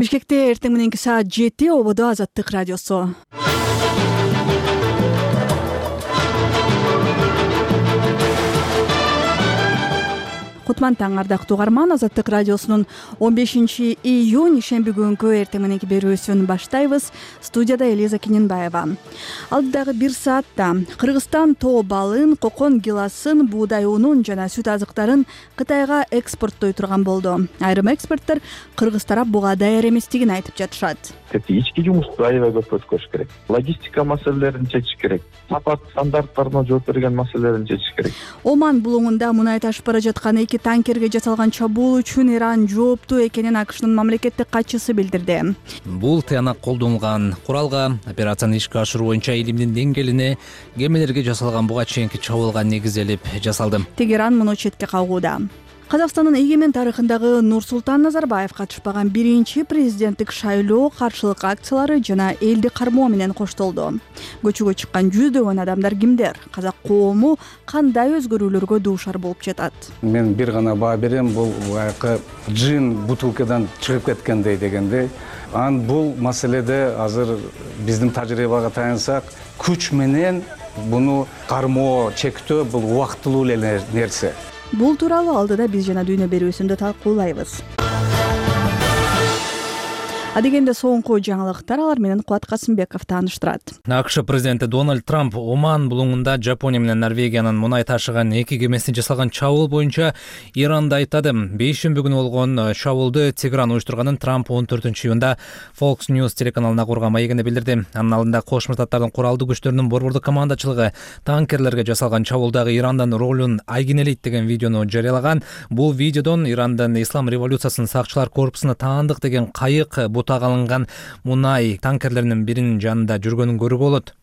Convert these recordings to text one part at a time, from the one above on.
Бишкекте эртең мененки саат 7 ободо Азаттык радиосу. Кутман таң ардактуу угарман, Азаттык радиосунун 15-июнь шемби күнкү эртең мененки берүүсүн баштайбыз. Студияда Элиза Кененбаева. Алдыдагы 1 саатта Кыргызстан тоо балын, кокон гиласын, буудай унун жана сүт азыктарын Кытайга экспорттой турган болду. Айрым эксперттер Кыргыз тарап буга даяр эместигин айтып жатышат. Ички жумушту аябай көп өткөрүш керек. Логистика маселелерин чечиш керек. Сапа стандарттарына жооп берген маселелерин чечиш керек. Оман булуңунда мунай ташып бара жаткан 2 танкерге жасалган чабуул үчүн Иран жооптуу экенин АКШнын мамлекеттик катчысы билдирди. Бул тыянак колдонулган куралга операцияны ишке ашыруу боюнча илимдин деңгээлине кемелерге жасалган буга чейинки чабуулга негизделип жасалды. Тегеран муну четке кагууда. Казакстандын эгемен тарыхындагы Нурсултан Назарбаев катышпаган биринчи президенттик шайлоо каршылык акциялары жана элди кармоо менен коштолду. Көчөгө чыккан жүздөгөн адамдар кимдер? Казак коому кандай өзгөрүүлөргө дуушар болуп жатат? Мен бир гана баа берем, бул баягы джин бутылкадан чыгып кеткендей дегендей. Бул маселеде азыр биздин тажрыйбага таянсак, күч менен буну кармоо, чектөө бул убактылуу эле нерсе. Бул тууралуу алдыда биз жана дүйнө берүүсүндө талкуулайбыз. Адегенде соңку жаңылыктар, алар менен Кубат Касымбеков тааныштырат. АКШ президенти Дональд Трамп Оман булуңунда Жапония менен Норвегиянын мунай ташыган 2 кемесине жасалган чабуул боюнча Иранды айттады. Бейшемби күнү болгон чабуулду Тегеран уюштурганын Трамп 14-июнда Fox News телеканалына курган маегинде билдирди. Анын алдында Кошмо Штаттардын куралдуу күчтөрүнүн борбордук командачылыгы танкерлерге жасалган чабуулдагы Ирандын ролун айгинелейт деген видеону жарыялаган. Бул видеодон Ирандын Ислам революциясынын сакчылар корпусуна таандык деген кайык бутак алынган мунай танкерлеринин биринин жанында жүргөнүн көрүүгө болот.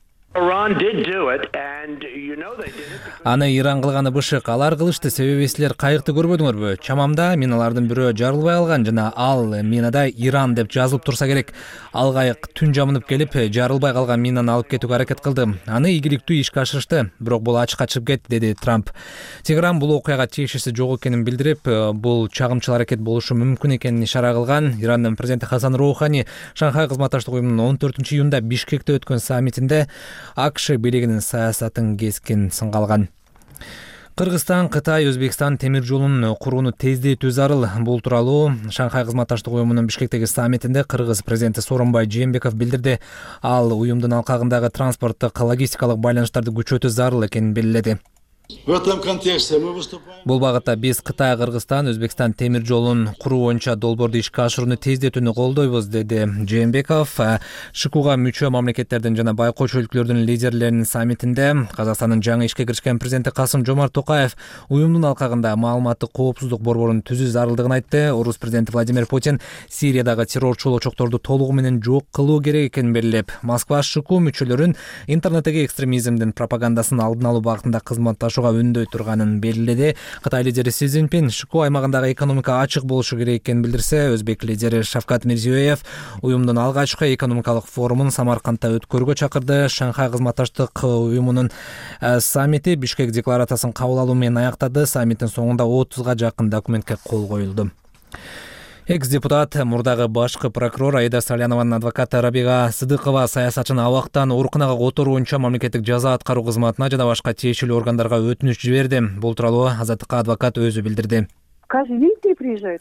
Аны Иран кылганы бышык. Алар кылышты, себеби силер кайыкты көрбөдүңөрбү? Чамамда миналардын бирөө жарылбай алган жана ал минада Иран деп жазылып турса керек. Ал кайык түн жамынып келип, жарылбай калган минаны алып кетүүгө аракет кылды. Аны ийгиликтүү ишке ашырышты, бирок бул ачыкка чыгып кетти, деди Трамп. Тегеран бул окуяга тиешеси жок экенин билдирип, бул чагымчыл аракет болушу мүмкүн экенин ишара кылган. Ирандын президенти Хасан Роухани Шанхай кызматташтык уюмунун 14-июнда Бишкекте өткөн саммитинде АКШ бийлигинин саясатын кескин сынга алган. Кыргызстан, Кытай, Өзбекстан темир жолун курууну тездетүү зарыл. Бул тууралуу Шанхай кызматташтык уюмунун Бишкектеги саммитинде Кыргыз президенти Сооронбай Жээнбеков билдирди. Ал уюмдун алкагындагы транспорттук логистикалык байланыштарды күчөтүү зарыл экенин белгиледи. В этом контексте мы выступаем. Бул багытта биз Кытай, Кыргызстан, Өзбекстан темир жолун куруу боюнча долбоорду ишке ашырууну тездетүүнү колдойбуз, деди Жээнбеков. ШКУга мүчө мамлекеттердин жана байкоч өлкөлөрдүн лидерлеринин саммитинде Казакстандын жаңы ишке киришкен президенти Касым-Жомарт Токаев уюмдун алкагында маалыматтык коопсуздук борборун түзүү зарылдыгын айтты. Орус президенти Владимир Путин Сириядагы террорчу очокторду толугу менен жок кылуу керек экенин белгилеп, Москва ШКУ мүчөлөрүн интернеттеги экстремизмдин пропагандасын алдын алуу багытында кызматташууга үндөй турганын белгиледи. Кытай лидери Си Цзиньпин ШКУ аймагындагы экономика ачык болушу керек экенин билдирсе, Өзбек лидери Шавкат Мирзиёев уюмдун алгачкы экономикалык форумун Самаркандта өткөрүүгө чакырды. Шанхай кызматташтык уюмунун саммити Бишкек декларациясын кабыл алуу менен аяктады. Саммиттин соңунда 30га жакын документке кол коюлду. Экс-депутат, мурдагы башкы прокурор Аида Салянованын адвокаты Рабига Сыдыкова саясатчыны абактан ооруканага которуу боюнча мамлекеттик жаза аткаруу кызматына жана башка тиешелүү органдарга өтүнүч жиберди. Бул тууралуу Азаттыкка адвокат өзү билдирди. Каждый день приезжают?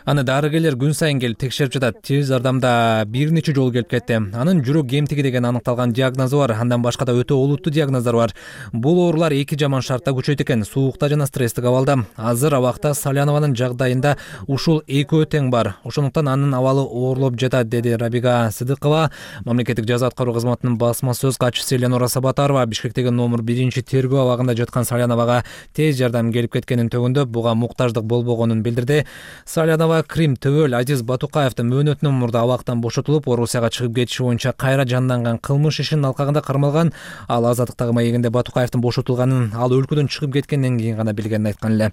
Аны дарыгерлер күн сайын келип текшерип жатат. Тез жардамда бир нече жолу келип кетти. Анын жүрөк кемтиги деген аныкталган диагнозу бар. Андан башка да өтө олуттуу диагноздар бар. Бул оорулар эки жаман шартта күчөйт экен: суукта жана стресстик абалда. Азыр абакта Салянованын жагдайында ушул экөө тең бар. Ошондуктан анын абалы оорлоп жатат, деди Рабига Сыдыкова. Мамлекеттик жаза аткаруу кызматынын басма сөз катчысы Эленора Сабатарова Бишкектеги номер 1 тергөө абагында жаткан Саляновага тез жардам келип кеткенин төгүндөп, буга муктаждык болбогонун билдирди. Салянова Крим Төбөл Азиз Батукаевдин мөөнөтүнөн мурда абактан бошотулуп, Орусияга чыгып кетиши боюнча кайра жанданган кылмыш ишинин алкагында кармалган. Ал Азаттыктагы маегинде Батукаевдин бошотулганын, ал өлкөдөн чыгып кеткенден кийин гана билгенин айткан эле.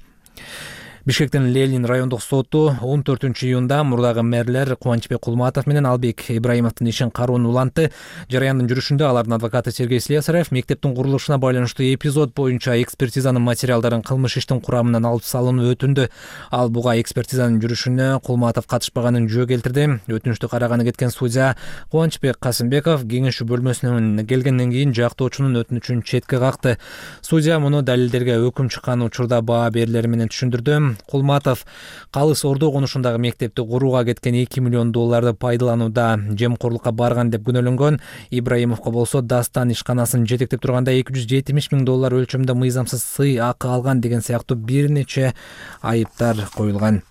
Бишкектин Ленин райондук соту 14-июнда мурдагы мэрлер Кубанычбек Кулматов менен Албек Ибраимовдун ишин кароонун улантты. Жараяндын жүрүшүндө алардын адвокаты Сергей Слесарев мектептин курулушуна байланыштуу эпизод боюнча экспертизанын материалдарын кылмыш иштин курамынан алып салууну өтүндү. Ал буга экспертизанын жүрүшүнө Кулматов катышпаганын жөө келтирди. Өтүнүштү караганы кеткен судья Кубанычбек Касымбеков кеңешүү бөлмөсүнөн келгенден кийин жактоочунун өтүнүчүн четке какты. Судья муну далилдерге өкүм чыккан учурда баа берилери менен түшүндүрдү. Кулматов Калыс Ордо конушундагы мектепти курууга кеткен $2 миллион пайдаланууда жемкорлукка барган деп күнөөлөнгөн. Ибраимовго болсо Дастан ишканасын жетектеп турганда $270 миң өлчөмдө мыйзамсыз сый акы алган деген сыяктуу бир нече айыптар коюлган.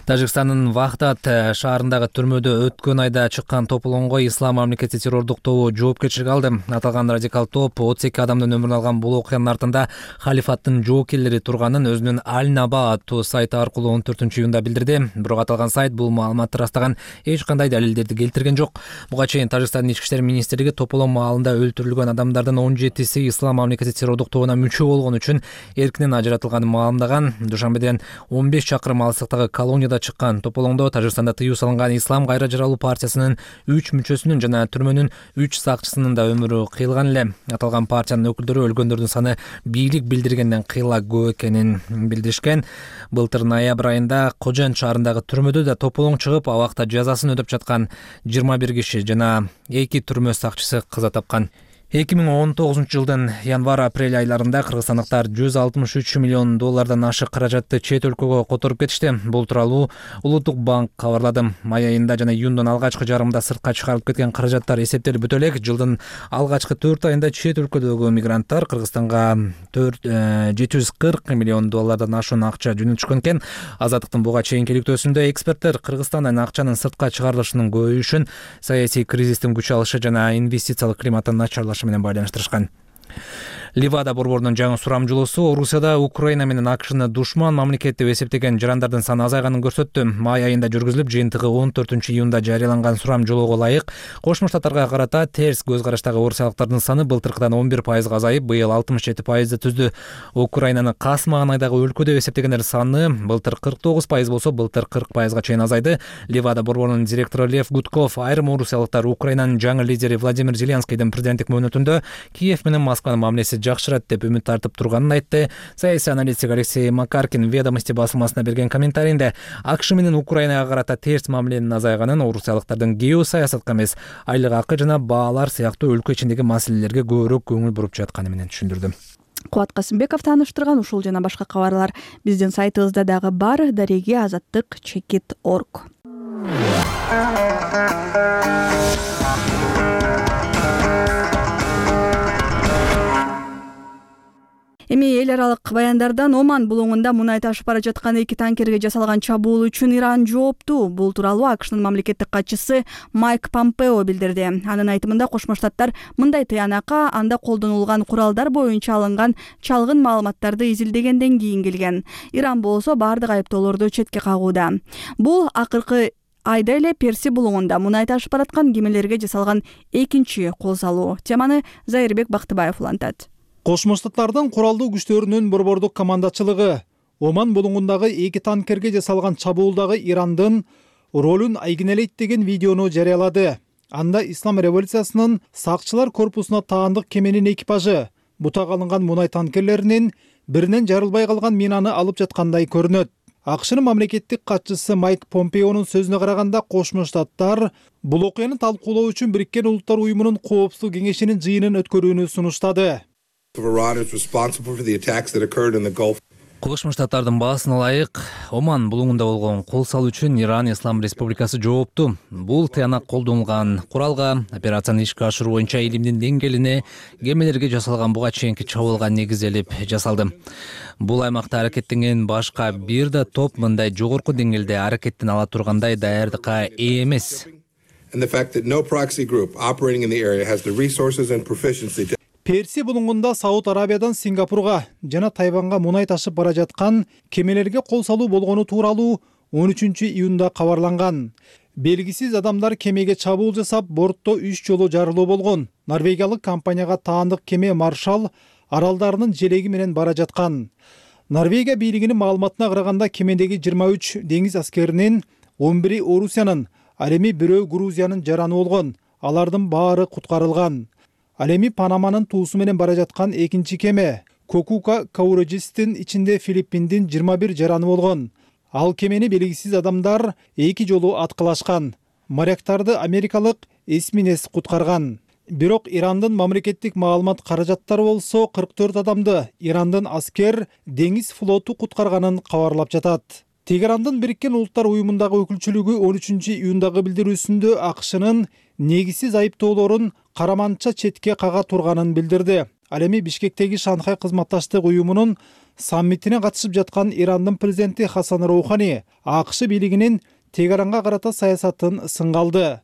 Тажикстандын Вахдат шаарындагы түрмөдө өткөн айда чыккан тополоңго Ислам мамлекети террордук тобу жоопкерчилик алды. Аталган радикал топ 32 адамдын өмүрүн алган бул окуянын артында халифаттын жоокерлери турганын өзүнүн Аль-Наба аттуу сайты аркылуу 14-июнда билдирди. Бирок аталган сайт бул маалыматты ырастаган эч кандай далилдерди келтирген жок. Буга чейин Тажикстандын ички иштер министрлиги тополоң маалында өлтүрүлгөн адамдардын 17си Ислам мамлекети террордук тобуна мүчө болгон үчүн эркинен ажыратылганын маалымдаган. Душанбеден 15 чакырым алыстыктагы колонияда чыккан тополоңдо Тажикстанда тыюу салынган Ислам кайра жаралуу партиясынын 3 мүчөсүнүн жана түрмөнүн 3 сакчысынын да өмүрү кыйылган эле. Аталган партиянын өкүлдөрү өлгөндөрдүн саны бийлик билдиргенден кыйла көп экенин билдиришкен. Былтыр ноябрь айында Кожен шаарындагы түрмөдө да тополоң чыгып, абакта жазасын өтөп жаткан 21 киши жана 2 түрмө сакчысы каза тапкан. 2019 жылдын январь-апрель айларында кыргызстандыктар $163 миллион ашык каражатты чет өлкөгө которуп кетишти. Бул тууралуу Улуттук банк кабарлады. Май айында жана июндун алгачкы жарымында сыртка чыгарылып кеткен каражаттар эсептелип бүтө элек. Жылдын алгачкы 4 айында чет өлкөдөгү мигранттар Кыргызстанга $740 миллион ашуун акча жөнөтүшкөн экен. Азаттыктын буга чейинки иликтөөсүндө эксперттер Кыргызстандан акчанын сыртка чыгарылышынын көбөйүшүн саясий кризистин күч алышы жана инвестициялык климаттын начарлашы менен байланыштырышкан. Ливада борборунун жаңы сурамжылоосу Орусияда Украина менен АКШны душман мамлекет деп эсептеген жарандардын саны азайганын көрсөттү. Май айында жүргүзүлүп, жыйынтыгы 14-июнда жарыяланган сурамжылоого ылайык Кошмо Штаттарга карата терс көз караштагы орусиялыктардын саны былтыркыдан 11% азайып, быйыл 67% түздү. Украинаны касмаган айдагы өлкө деп эсептегендер саны былтыр 49% болсо, былтыр 40%га чейин азайды. Ливада борборунун директору Лев Гудков айрым орусиялыктар Украинанын жаңы лидери Владимир Зеленскийдин президенттик мөөнөтүндө Киев менен Москванын мамилеси жакшырат деп үмүт тартып турганын айтты. Саясий аналитик Алексей Макаркин Ведомости басылмасына берген комментарийинде АКШ менен Украинага карата терс мамиленин азайганын, орусиялыктардын геосаясатка эмес, айлык акы жана баалар сыяктуу өлкө ичиндеги маселелерге көбүрөөк көңүл буруп жатканы менен түшүндүрдү. Кубат Касымбеков тааныштырган ушул жана башка кабарлар биздин сайтыбызда дагы бар. Дареги azаттык.org. Эми эл аралык баяндардан Оман булуңунда мунай ташып бара жаткан 2 танкерге жасалган чабуул үчүн Иран жооптуу. Бул тууралуу АКШнын мамлекеттик катчысы Майк Помпео билдирди. Анын айтымында Кошмо Штаттар мындай тыянакка анда колдонулган куралдар боюнча алынган чалгын маалыматтарды изилдегенден кийин келген. Иран болсо бардык айыптоолорду четке кагууда. Бул акыркы айда эле Перси булуңунда мунай ташып бараткан кемелерге жасалган экинчи кол салуу. Теманы Зайырбек Бактыбаев улантат. Кошмо Штаттардын куралдуу күчтөрүнүн борбордук командачылыгы Оман булуңундагы 2 танкерге жасалган чабуулдагы Ирандын ролун айгинелейт деген видеону жарыялады. Анда Ислам революциясынын сакчылар корпусуна таандык кеменин экипажы бутак алынган мунай танкерлеринин биринен жарылбай калган минаны алып жаткандай көрүнөт. АКШнын мамлекеттик катчысы Майк Помпеонун сөзүнө караганда, Кошмо Штаттар бул окуяны талкуулоо үчүн Бириккен Улуттар Уюмунун коопсуздук кеңешинин жыйынын өткөрүүнү сунуштады. Кошмо Штаттардын баасына ылайык Оман булуңунда болгон кол салуу үчүн Иран Ислам Республикасы жооптуу. Бул тыянак колдонулган куралга, операцияны ишке ашыруу боюнча илимдин деңгээлине, кемелерге жасалган буга чейинки чабуулга негизделип жасалды. Бул аймакта аракеттенген башка бир да топ мындай жогорку деңгээлде аракеттен ала тургандай даярдыкка ээ эмес. Перси булуңунда Сауд Арабиядан Сингапурга жана Тайванга мунай ташып бара жаткан кемелерге кол салуу болгону тууралуу 13-июнда кабарланган. Белгисиз адамдар кемеге чабуул жасап, бортто 3 жолу жарылуу болгон. Норвегиялык компанияга таандык кеме Маршал аралдарынын желеги менен бара жаткан. Норвегия бийлигинин маалыматына караганда кемедеги 23 деңиз аскеринин 11 Орусиянын, ал эми бирөө Грузиянын жараны болгон. Алардын баары куткарылган. Ал эми Панаманын туусу менен бара жаткан экинчи кеме Кокука Каурежистин ичинде Филиппиндин 21 жараны болгон. Ал кемени белгисиз адамдар 2 жолу аткылашкан. Моряктарды америкалык эсминец куткарган. Бирок Ирандын мамлекеттик маалымат каражаттары болсо 44 адамды Ирандын аскер деңиз флоту куткарганын кабарлап жатат. Тегерандын Бириккен Улуттар уюмундагы өкүлчүлүгү 13 июндагы билдирүүсүндө АКШнын негизсиз айыптоолорун караманча четке кага турганын билдирди. Ал эми Бишкектеги Шанхай кызматташтык уюмунун саммитине катышып жаткан Ирандын президенти Хасан Роухани АКШ бийлигинин Тегеранга карата саясатын сынга алды.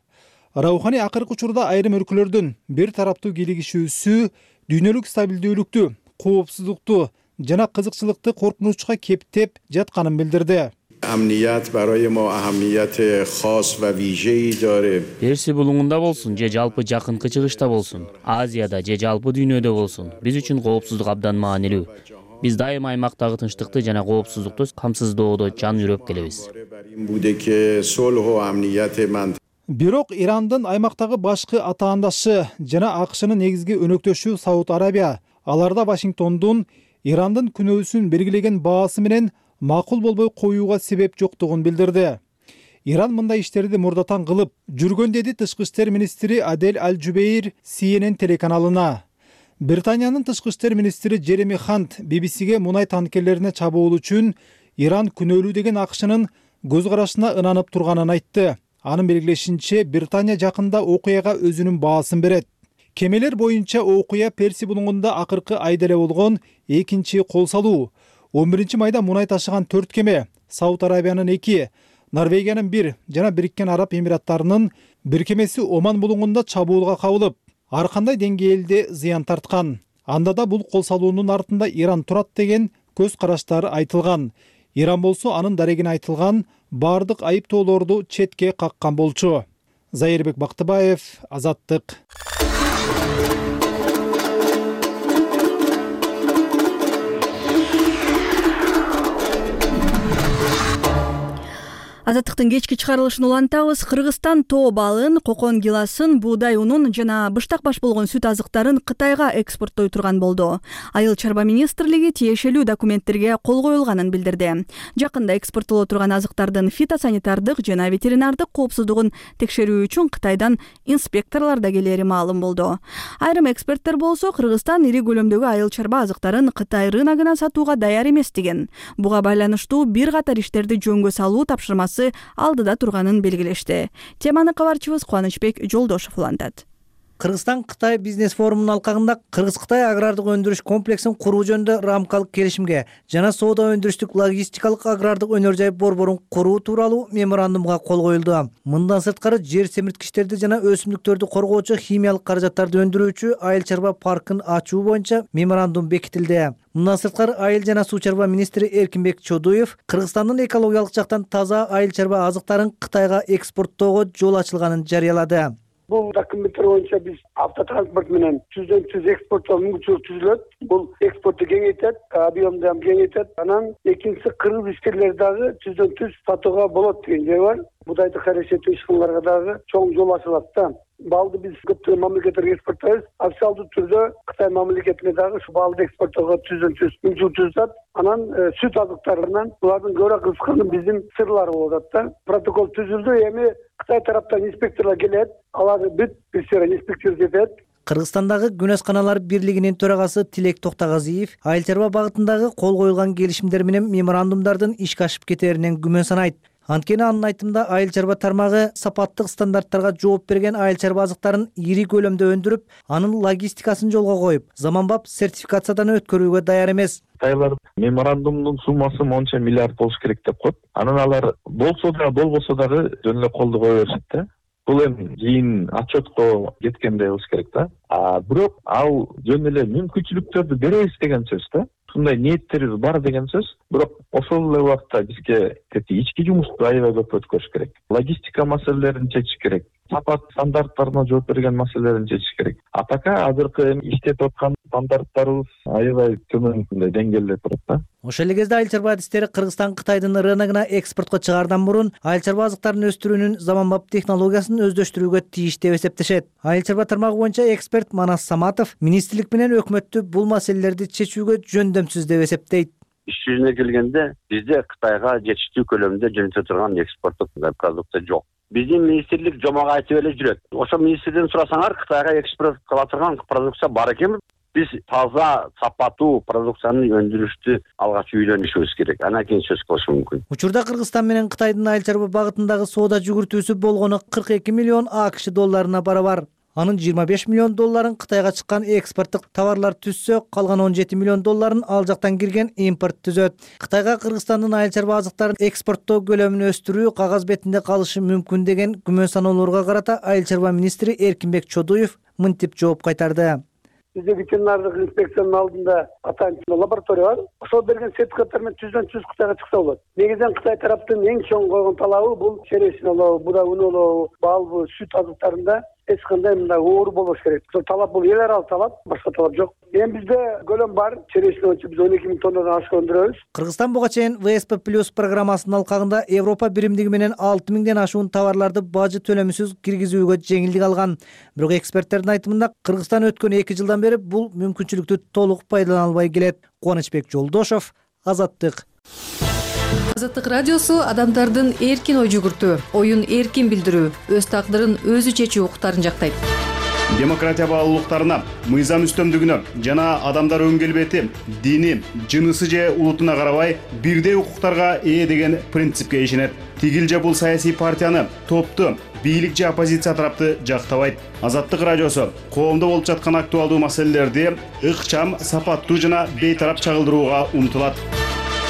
Роухани акыркы учурда айрым өлкөлөрдүн бир тараптуу кийлигишүүсү дүйнөлүк стабилдүүлүктү, коопсуздукту жана кызыкчылыкты коркунучка кептеп жатканын билдирди. Персия булуңунда болсун же жалпы жакынкы чыгышта болсун, Азияда же жалпы дүйнөдө болсун, биз үчүн коопсуздук абдан маанилүү. Биз дайыма аймактагы тынчтыкты жана коопсуздукту камсыздоодо жан жүрөп келебиз. Бирок Ирандын аймактагы башкы атаандашы жана АКШнын негизги өнөктөшү Сауд Арабия аларда Вашингтондун Ирандын күнөөсүн белгилеген баасы менен макул болбой коюуга себеп жоктугун билдирди. Иран мындай иштерди мурдатан кылып жүргөн деди тышкы иштер министри Адель Аль-Жубейр CNN телеканалына. Британиянын тышкы иштер министри Джереми Хант BBCге мунай танкерлерине чабуул үчүн Иран күнөөлүү деген АКШнын көз карашына ынанып турганын айтты. Анын белгилешинче, Британия жакында окуяга өзүнүн баасын берет. Кемелер боюнча окуя Персия булуңунда акыркы айда эле болгон экинчи кол салуу. 11 майда мунай ташыган 4 кеме, Сауд Арабиянын 2, Норвегиянын 1 жана Бириккен Араб Эмираттарынын 1 кемеси Оман булуңунда чабуулга кабылып, ар кандай деңгээлде зыян тарткан. Анда да бул кол салуунун артында Иран турат деген көз караштар айтылган. Иран болсо анын дарегине айтылган бардык айыптоолорду четке каккан болчу. Зайырбек Бактыбаев, Азаттык. Азаттыктын кечки чыгарылышын улантабыз. Кыргызстан тоо балын, кокон гиласын, буудай унун жана быштак баш болгон сүт азыктарын Кытайга экспорттой турган болду. Айыл чарба министрлиги тиешелүү документтерге кол коюлганын билдирди. Жакында экспорттоло турган азыктардын фитосанитардык жана ветеринардык коопсуздугун текшерүү үчүн Кытайдан инспекторлор да келери маалым болду. Айрым эксперттер болсо Кыргызстан ири көлөмдөгү айыл чарба азыктарын Кытай рыногуна сатууга даяр эмес деген. Буга байланыштуу бир катар иштерди жөнгө салуу тапшырмасы алдыда турганын белгилешти. Теманы кабарчыбыз Кубанычбек Жолдошов улантат. Кыргызстан-Кытай бизнес форумунун алкагында Кыргыз-Кытай агрардык өндүрүш комплексин куруу жөнүндө рамкалык келишимге жана соода өндүрүштүк логистикалык агрардык өнөр жай борборун куруу тууралуу меморандумга кол коюлду. Мындан сырткары жер семирткичтерди жана өсүмдүктөрдү коргоочу химиялык каражаттарды өндүрүүчү айыл чарба паркын ачуу боюнча меморандум бекитилди. Мындан сырткары айыл жана суу чарба министри Эркинбек Чодуев Кыргызстандын экологиялык жактан таза айыл чарба азыктарын Кытайга экспорттоого жол ачылганын жарыялады. Бул документтер боюнча биз автотранспорт менен түздөн-түз экспорттоо мүмкүнчүлүк түзүлөт. Бул экспортты кеңейтет, объемду кеңейтет. Анан экинчиси кыргыз ишкерлер дагы түздөн-түз сатууга болот деген жай бар. Будайды карашеттүү ишканаларга дагы чоң жол ачылат да. Балды биз көптөгөн мамлекеттерге экспорттойбуз. Официалдуу түрдө Кытай мамлекетине дагы ушу балды экспорттоого түздөн-түз мүмкүнчүлүк түзүлөт. Анан сүт азыктарынан булардын көбүрөөк кызыкканы биздин сырлар болуп атат да. Протокол түзүлдү, эми Кытай тараптан инспекторлор келет, аларды бүт инспекция этет. Кыргызстандагы күн асканалар бирлигинин төрагасы Тилек Токтогазиев айыл чарба багытындагы кол коюлган келишимдер менен меморандумдардын ишке ашып кетеринен күмөн санайт. Анткени анын айтымында айыл чарба тармагы сапаттык стандарттарга жооп берген айыл чарба азыктарын ири көлөмдө өндүрүп, анын логистикасын жолго коюп, заманбап сертификациядан өткөрүүгө даяр эмес. Кытайлар меморандумдун суммасы монча миллиард болуш керек деп коет. Анан алар болсо да болбосо дагы жөн эле колду кое беришет да. Бул эми кийин отчетко кеткенде болуш керек да. Бирок ал жөн эле мүмкүнчүлүктөрдү беребиз деген сөз да. Ушундай ниеттерибиз бар деген сөз. Бирок ошол эле убакта бизге ички жумушту аябай көп өткөрүш керек. Логистика маселелерин чечиш керек. Сапат стандарттарына жооп берген маселелерин чечиш керек. Атака азыркы иштетип аткан стандарттарыбыз аябай төмөн деңгээлде турат да. Ошол эле кезде айыл чарба адистери Кыргызстан Кытайдын рыногуна экспортко чыгаардан мурун айыл чарба азыктарын өстүрүүнүн заманбап технологиясын өздөштүрүүгө тийиш деп эсептешет. Айыл чарба тармагы боюнча эксперт Манас Саматов министрлик менен өкмөттү бул маселелерди чечүүгө жөндөмсүз деп эсептейт. Иш жүзүнө келгенде бизде Кытайга жетиштүү көлөмдө жөнөтө турган экспорттук продукция жок. Биздин министрлик жомок айтып эле жүрөт. Ошо министрден сурасаңар, Кытайга экспорт кыла турган продукция бар экенби? Биз таза, сапаттуу продукцияны өндүрүштү алгач үйлөнүшүбүз керек. Анан кийин сөз кылыш мүмкүн. Учурда Кыргызстан менен Кытайдын айыл чарба багытындагы соода жүгүртүүсү болгону 42 миллион АКШ долларына барабар. Анын 25 миллион долларын Кытайга чыккан экспорттук товарлар түзсө, калган 17 миллион долларын ал жактан кирген импорт түзөт. Кытайга Кыргызстандын айыл чарба азыктарын экспорттоо көлөмүн өстүрүү кагаз бетинде калышы мүмкүн деген күмөн саноолорго карата айыл чарба министри Эркинбек Чодуев мынтип жооп кайтарды. Бизде ветеринардык инспекциянын алдында атайын лаборатория бар. Ошол берген сертификаттар менен түздөн-түз Кытайга чыкса болот. Негизинен Кытай тараптын эң чоң койгон талабы бул черешин олобу, буда үн олобу, бал, сүт азыктарында эч кандай мындай оор болбош керек. Ошол талап бул эл аралык талап, башка талап жок. Эми бизде көлөм бар. Черешин боюнча биз 12 миң тоннадан ашык өндүрөбүз. Кыргызстан буга чейин ВСП+ программасынын алкагында Европа биримдиги менен 6 миңден ашуун товарларды бажы төлөмүсүз киргизүүгө жеңилдик алган. Бирок эксперттердин айтымында Кыргызстан өткөн 2 жылдан бери бул мүмкүнчүлүктү толук пайдалана албай келет. Кубанычбек Жолдошов, Азаттык. Азаттык радиосу адамдардын эркин ой жүгүртүү, оюн эркин билдирүү, өз тагдырын өзү чечүү укуктарын жактайт. Демократия баалуулуктарына, мыйзам үстөмдүгүнө жана адамдар өң келбети, дини, жынысы же улутуна карабай бирдей укуктарга ээ деген принципке ишенет. Тигил же бул саясий партияны, топту, бийлик же оппозиция тарапты жактабайт. Азаттык радиосу коомдо болуп жаткан актуалдуу маселелерди ыкчам, сапаттуу жана бейтарап чагылдырууга умтулат.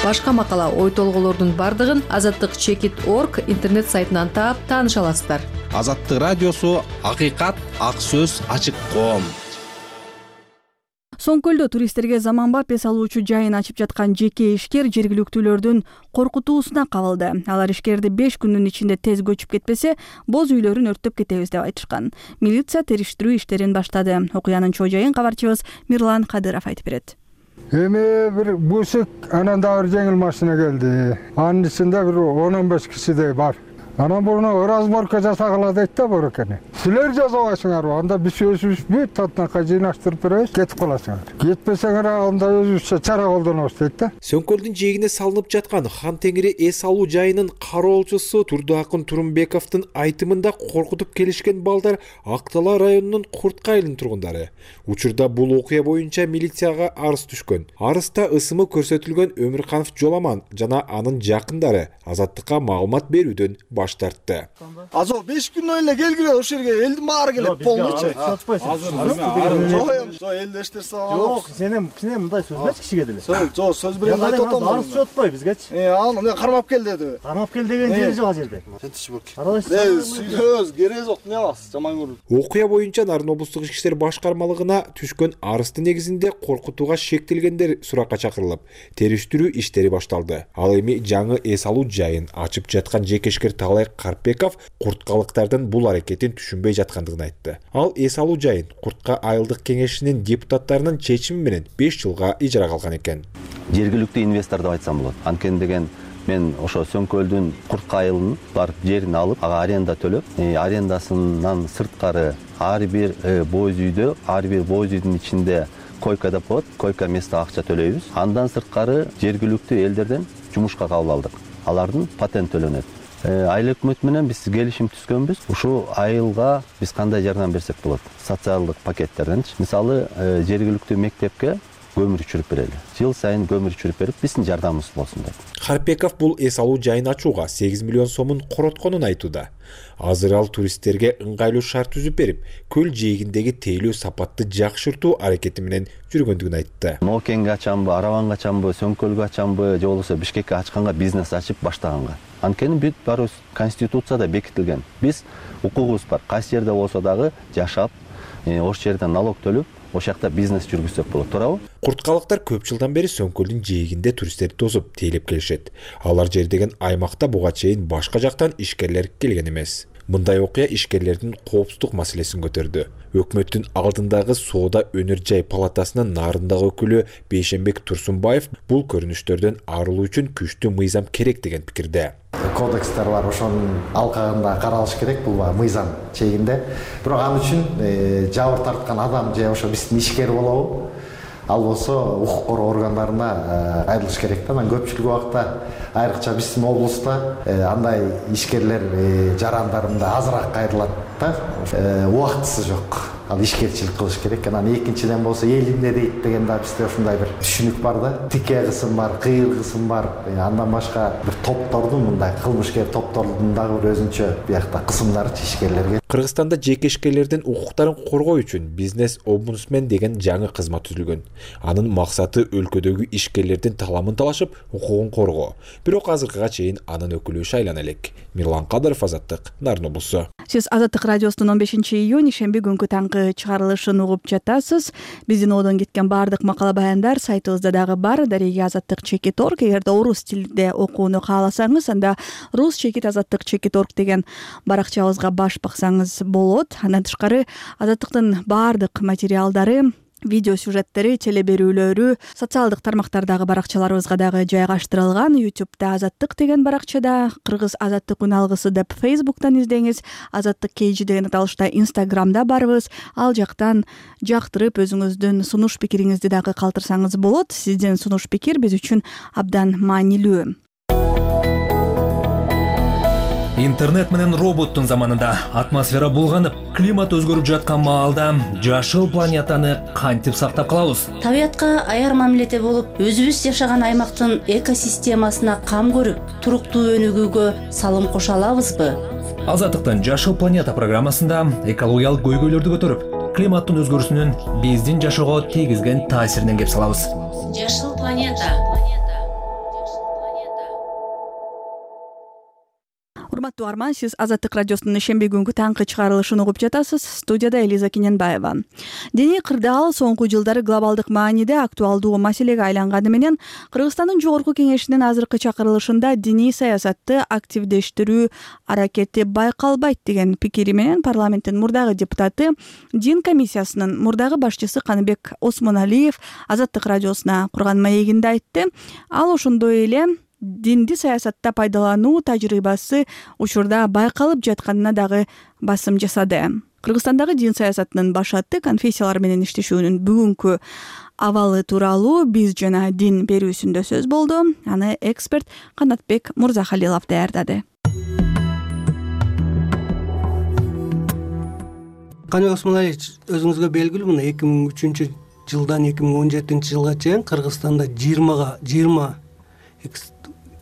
Башка макала, ой толголордун бардыгын azattik.org интернет сайтынан таап тааныша аласыздар. Азаттык радиосу акыйкат, ак сөз, ачык коом. Соңкөлдө туристтерге заманбап эс алуучу жайын ачып жаткан жеке ишкер жергиликтүүлөрдүн коркутуусуна кабылды. Алар ишкерди 5 күндүн ичинде тез көчүп кетпесе, боз үйлөрүн өрттөп кетебиз деп айтышкан. Милиция териштирүү иштерин баштады. Окуянын чоо жайын кабарчыбыз Мирлан Кадыров айтып берет. Эми бир бусик анан да бир жеңил машина келди. Анын ичинде бир 10-15 кишидей бар. Анан буну разборка жасагыла дейт да бурекени. Силер жасабайсыңарбы? Анда биз өзүбүз бүт татнакка жыйнаштырып беребиз, кетип каласыңар. Кетпесеңер анда өзүбүзчө чара колдонобуз дейт да. Сөңкөлдүн жээгине салынып жаткан Хан Теңири эс алуу жайынын кароолчусу Турдуакын Турумбековдун айтымында коркутуп келишкен балдар Актала районунун Куртка айылынын тургундары. Учурда бул окуя боюнча милицияга арыз түшкөн. Арызда ысымы көрсөтүлгөн Өмүрканов Жоламан жана анын жакындары Азаттыкка маалымат берүүдөн баш тартты. Азо 5 күнөн эле келгиле ошол жерге элдин баары келет полночь. Азыр элде эштерсе жок, сенем мындай сөз эмес кишиге деле. Жок, сөз берем айтып атам. Арыз чотпой бизгечи. Аны кармап кел деди. Кармап кел деген жери жок жерде. Сөз кереги жок, эмне аласыз, жаман көрүп. Окуя боюнча Нарын облустук ички иштер башкармалыгына түшкөн арыздын негизинде коркутууга шектелгендер суракка чакырылып, териштирүү иштери башталды. Ал эми жаңы эс алуу жайын ачып жаткан жекешкер Талай Карпеков курткалыктардын бул аракетин түшүнбөй жаткандыгын айтты. Ал эс алуу жайын Куртка айылдык кеңешинин депутаттарынын чечими менен 5 жылга ижарага алган экен. Жергиликтүү инвестор деп айтсам болот. Анткени деген мен ошо Сөңкөлдүн Куртка айылын барып жерин алып, ага аренда төлөп, арендасынан сырткары ар бир боз үйдө, ар бир боз үйдүн ичинде койка деп коет, койка место акча төлөйбүз. Андан сырткары жергиликтүү элдерден жумушка кабыл алдык. Алардын патент төлөнөт. Айыл өкмөтү менен биз келишим түзгөнбүз. Ушул айылга биз кандай жардам берсек болот? Социалдык пакеттерденчи. Мисалы, жергиликтүү мектепке көмүр өчүрүп берели. Жыл сайын көмүр өчүрүп берип, биздин жардамыбыз болсун деп. Карпеков бул эс алуу жайын ачууга 8 миллион сомун коротконун айтууда. Азыр ал туристтерге ыңгайлуу шарт түзүп берип, көл жээгиндеги тейлөө сапатты жакшыртуу аракети менен жүргөндүгүн айтты. Ноокенге ачамбы, Араванга ачамбы, Сөңкөлгө ачамбы, же болбосо Бишкекке ачканга бизнес ачып баштаганга. Анткени бүт баарыбыз конституцияда бекитилген. Биз укугубуз бар. Кайсы жерде болсо дагы жашап, ошол жерден налог төлөп, ошол жакта бизнес жүргүзсөк болот, туурабы? Курткалыктар көп жылдан бери Сөңкөлдүн жээгинде туристтерди тосуп, тейлеп келишет. Алар жер деген аймакта буга чейин башка жактан ишкерлер келген эмес. Мындай окуя ишкерлердин коопсуздук маселесин көтөрдү. Өкмөттүн алдындагы соода өнөр жай палатасынын нарындагы өкүлү Бейшенбек Турсунбаев бул көрүнүштөрдөн арылуу үчүн күчтүү мыйзам керек деген пикирде. Кодекстер бар, ошонун алкагында каралыш керек, бул мыйзам чегинде. Бирок ал үчүн жабыр тарткан адам же ошо биздин ишкер болобу, ал болсо укук коргоо органдарына кайрылыш керек да. Анан көпчүлүк убакта айрыкча биздин облуста андай ишкерлер жарандарында азыраак кайрылат да. Убактысы жок. Ал ишкерчилик кылыш керек. Анан экинчиден болсо эл эмне дейт деген да бизде ошондой бир түшүнүк бар да. Тике кысым бар, кыйыр кысым бар. Андан башка бир топтордун, мындай кылмышкер топтордун дагы бир өзүнчө биякта кысымдары ишкерлерге. Кыргызстанда жеке ишкерлердин укуктарын коргоо үчүн бизнес омбудсмен деген жаңы кызмат түзүлгөн. Анын максаты өлкөдөгү ишкерлердин таламын талашып, укугун коргоо. Бирок азыркыга чейин анын өкүлү шайлана элек. Мирлан Кадыров, Азаттык, Нарын облусу. Сиз Азаттык радиосунун 15-июнь ишемби күнгү таңкы чыгарылышын угуп жатасыз. Биздин одон кеткен баардык макала баяндар сайтыбызда дагы бар. Дареги Азаттык.org. Эгерде орус тилинде окууну кааласаңыз, анда rus.azattyk.org деген баракчабызга баш баксаңыз болот. Андан тышкары Азаттыктын баардык материалдары, видео сюжеттери, телеберүүлөрү социалдык тармактардагы баракчаларыбызга дагы жайгаштырылган. YouTube'да Азаттык деген баракчада, Кыргыз Азаттык үн алгысы деп Facebook'тан издеңиз, Азаттык KG деген аталышта Instagram'да барбыз. Ал жактан жактырып өзүңүздүн сунуш пикириңизди дагы калтырсаңыз болот. Сиздин сунуш пикир биз үчүн абдан маанилүү. Интернет менен роботтун заманында атмосфера булганып, климат өзгөрүп жаткан маалда жашыл планетаны кантип сактап калабыз? Табиятка аяр мамиледе болуп, өзүбүз жашаган аймактын экосистемасына кам көрүп, туруктуу өнүгүүгө салым кошо алабызбы? Азаттыктын Жашыл планета программасында экологиялык көйгөйлөрдү көтөрүп, климаттын өзгөрүүсүнүн биздин жашоого тийгизген таасиринен кеп салабыз. Жашыл планета. Урматтуу угарман, сиз Азаттык радиосунун ишемби күнгү таңкы чыгарылышын угуп жатасыз. Студияда Элиза Кененбаева. Диний кырдаал соңку жылдары глобалдык мааниде актуалдуу маселеге айланганы менен Кыргызстандын Жогорку Кеңешинин азыркы чакырылышында диний саясатты активдештирүү аракети байкалбайт деген пикири менен парламенттин мурдагы депутаты, Дин комиссиясынын мурдагы башчысы Каныбек Осмоналиев Азаттык радиосуна курган маегинде айтты. Ал ошондой эле динди саясатта пайдалануу тажрыйбасы учурда байкалып жатканына дагы басым жасады. Кыргызстандагы дин саясатынын башаты конфессиялар менен иштешүүнүн бүгүнкү абалы тууралуу биз жана дин берүүсүндө сөз болду. Аны эксперт Канатбек Мурзахалилов даярдады. Каныбек Осмоналиевич, өзүңүзгө белгилүү, мына 2003 жылдан 2017 жылга чейин Кыргызстанда 20